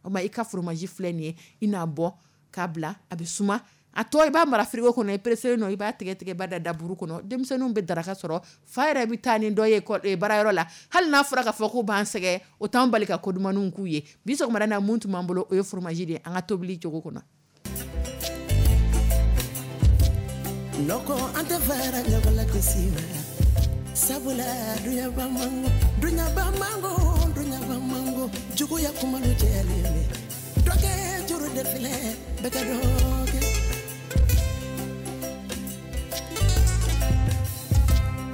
O tuma i ka fromage filɛ nin ye, i n'a bɔ k'a bila, a bɛ suma. A tɔ i b'a mara frigo kɔnɔ, i pressé nɔ, i b'a tigɛ tigɛ, i b'a da daburu kɔnɔ. Denmisɛnninw bɛ daraka sɔrɔ, fa yɛrɛ bɛ taa ni dɔ ye baarayɔrɔ la, hali n'a fɔra k'a fɔ k'u b'an sɛgɛn, o t'an bali ka ko dumanniw k'u ye. Bi sɔgɔmada in na, mun tun b'an bolo, o ye fromage de ye an ka tobili cogo kɔnɔ. Nɔkɔ an tɛ fara ɲɔgɔn la gosi ma, sabula duɲaba mango, duɲaba mango, duɲaba mango, juguya kuma lo cɛlen bɛ. Dɔ kɛ juru de filɛ, bɛɛ ka dɔ kɛ.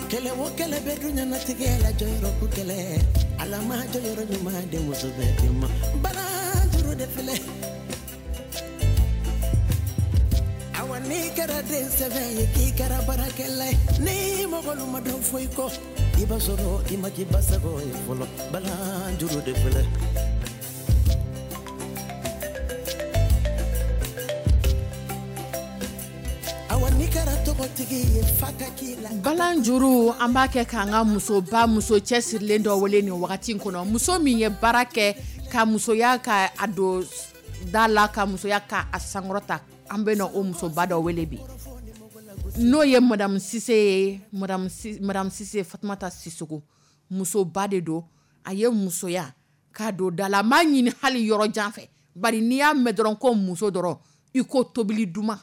Kɛlɛ o kɛlɛ bɛ duɲanatigɛ la, jɔyɔrɔ ko kɛlɛ, Ala ma jɔyɔrɔ ɲuman di muso bɛɛ de ma, balan juru de filɛ. Awa n'i kɛra den sɛbɛ ye, k'i kɛra baarakɛla ye, ni mɔgɔlu ma dɔn foyi kɔ, i b'a sɔrɔ i ma k'i basago ye fɔlɔ, balan juru de filɛ. Awa n'i kɛra tɔgɔtigi ye, fa ka k'i la. Balan juru, an b'a kɛ k'an ka musoba, muso cɛsirilen dɔ wele nin wagati in kɔnɔ, muso min ye baara kɛ ka musoya ka a don da la, ka musoya ka a sankɔrɔta. An bɛ na o musoba dɔ wele bi, n'o ye Madame Sise ye, Madame Madame Sise Fatumata Sisoko, musoba de don. A ye musoya k'a don da la. A m'a ɲini hali yɔrɔ jan fɛ, bari n'i y'a mɛn dɔrɔn ko muso dɔrɔn i ko tobili duman,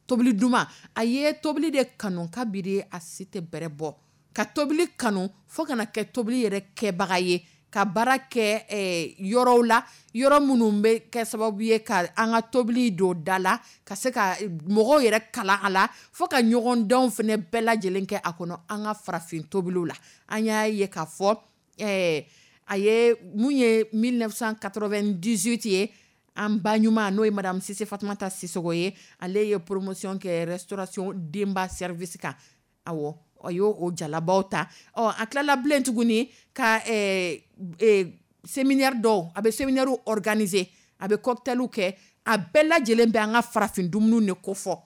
tobili duman. A ye tobili de kanu kabiri a si tɛ bɛrɛ bɔ, ka tobili kanu fo kana kɛ tobili yɛrɛ kɛbaga ye, ka baara kɛ eh, yɔrɔw la, yɔrɔ minnu bɛ kɛ sababu ye ka an ka tobili don da la, ka se ka mɔgɔw yɛrɛ kalan a la, fo ka ɲɔgɔndanw fana bɛɛ lajɛlen kɛ a kɔnɔ an ka farafin tobiliw la. An y'a ye k'a fɔ eh, a ye mun ye mille neuf cent quatre-vingt-dix-huit ye, an ba ɲuman n'o ye madame Sise Fatumata Sisoko ye, ale ye promotion kɛ restauration Denba service kan. Awɔ, a y'o o jalabaw ta. Ɔ, a tilala bilen tuguni ka eh, eh, séminaire dɔw, a bɛ séminaire organiser, a bɛ cocktailw kɛ, a bɛɛ lajɛlen bɛ an ka farafin dumuniw de kofɔ,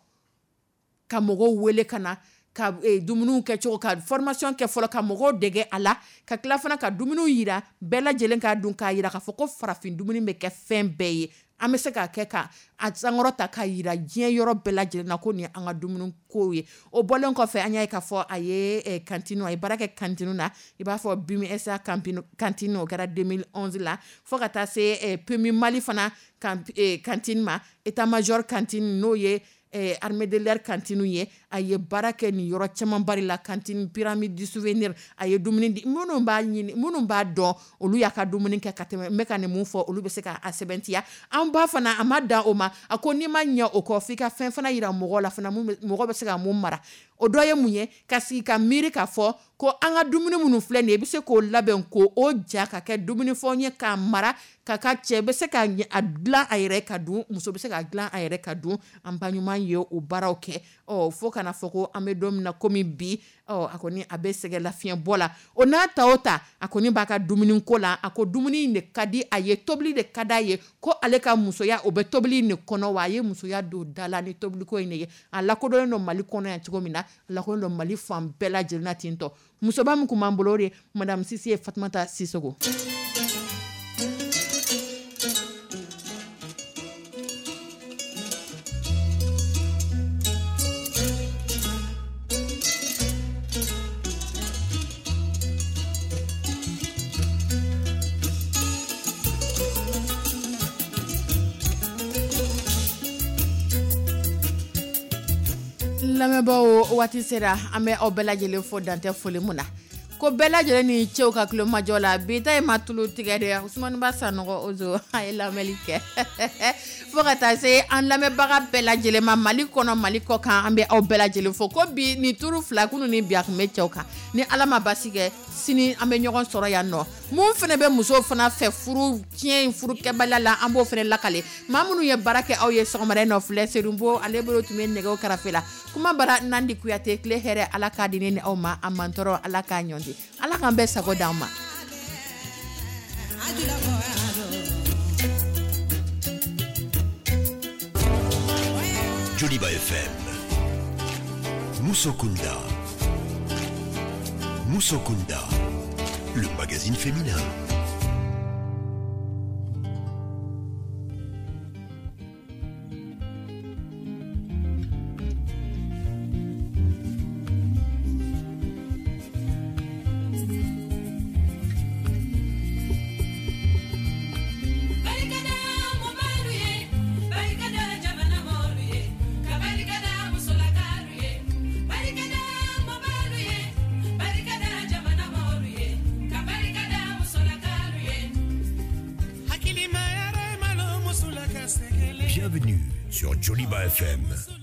ka mɔgɔw wele ka na ka eh, dumuniw kɛ cogo, ka formation kɛ fɔlɔ, ka mɔgɔw dege a la, ka tila fana ka dumuniw yira bɛɛ lajɛlen k'a dun, k'a yira k'a fɔ ko farafin dumuni bɛ kɛ fɛn bɛɛ ye. An bɛ se k'a kɛ ka a sankɔrɔ ta k'a yira diɲɛ yɔrɔ bɛɛ lajɛlen na ko nin ye an ka dumuni kow ye. O bɔlen kɔfɛ, an y'a ye k'a fɔ a ye, eh, cantine, a ye baara kɛ cantine na, i b'a fɔ B I M S A cantine, o kɛra deux mille onze la, fo ka taa se, eh, P M U Mali fana eh, cantine ma, état major cantine n'o ye, eh, armée de l'air cantine ye. A ye baara kɛ nin yɔrɔ caman bari la, cantine pyramide du souvenir, a ye dumuni di minnu b'a ɲini, minnu b'a dɔn, olu y'a ka dumuni kɛ ka tɛmɛ. N bɛ ka nin mun fɔ, olu bɛ se k'a sɛbɛntiya. An ba fana, a ma dan o ma, a ko n'i ma ɲɛ o kɔ, f'i ka fɛn fana yira mɔgɔw la fana, mun bɛ, mɔgɔ bɛ se ka mun mara. O dɔ ye mun ye, ka sigi ka miiri k'a fɔ ko an ka dumuni minnu filɛ nin ye, i bɛ se k'o labɛn k'o o ja ka kɛ dumunifɛnw ye k'a mara ka ka cɛ bɛ se ka a dilan a yɛrɛ ka dun, muso bɛ se ka dilan a yɛrɛ ka dun. An ba ɲuman ye o baaraw kɛ. Ɔ, fo kana fɔ ko an bɛ don min na komi bi, ɔ, a kɔni a bɛ sɛgɛn lafiɲɛ bɔ la. O n'a ta o ta, a kɔni b'a ka dumuni ko la. A ko dumuni in de ka di a ye, tobili de ka d'a ye, ko ale ka musoya o bɛ tobili in de kɔnɔ, wa a ye musoya don da la ni tobiliko in de ye. A lakodɔnnen don Mali kɔnɔ yan cogo min na, a lakodɔnnen don Mali fan bɛɛ lajɛlen na ten tɔ. Musoba min kun b'an bolo o de madame Sise ye Fatumata Sisoko. Lamɛnbaaw, waati sera an bɛ aw bɛɛ lajɛlen fo dantɛ foli mun na, ko bɛɛ lajɛlen ni cɛw ka tulomajɔ la. Bi ta in ma tulu tigɛ dɛ, Usumani Ba Sanɔgɔ Ozo a ye lamɛnli kɛ. Fo ka taa se an lamɛnbaga bɛɛ lajɛlen ma Mali kɔnɔ, Mali kɔ kan, an bɛ aw bɛɛ lajɛlen fo. Ko bi ni turu fila kunun ni bi a tun bɛ cɛw kan, ni Ala ma basi kɛ sini an bɛ ɲɔgɔn sɔrɔ yan nɔ. Mun fana bɛ musow fana fɛ furu tiɲɛ in furukɛbaliya la, an b'o fana lakale. Maa minnu ye baara kɛ aw ye sɔgɔmada in nɔ filɛ, Serunbo ale bolo tun bɛ nɛgɛw karafe la. Kuma bara Nandi Kuyate, tile hɛrɛ Ala k'a di ne ni aw ma, a mantɔrɔ Ala k'a ɲɔnti, Ala k'an bɛɛ sago d'an ma. Joliba F M, Musokunda, Musokunda, le magazine féminin. Bienvenue sur Joliba F M.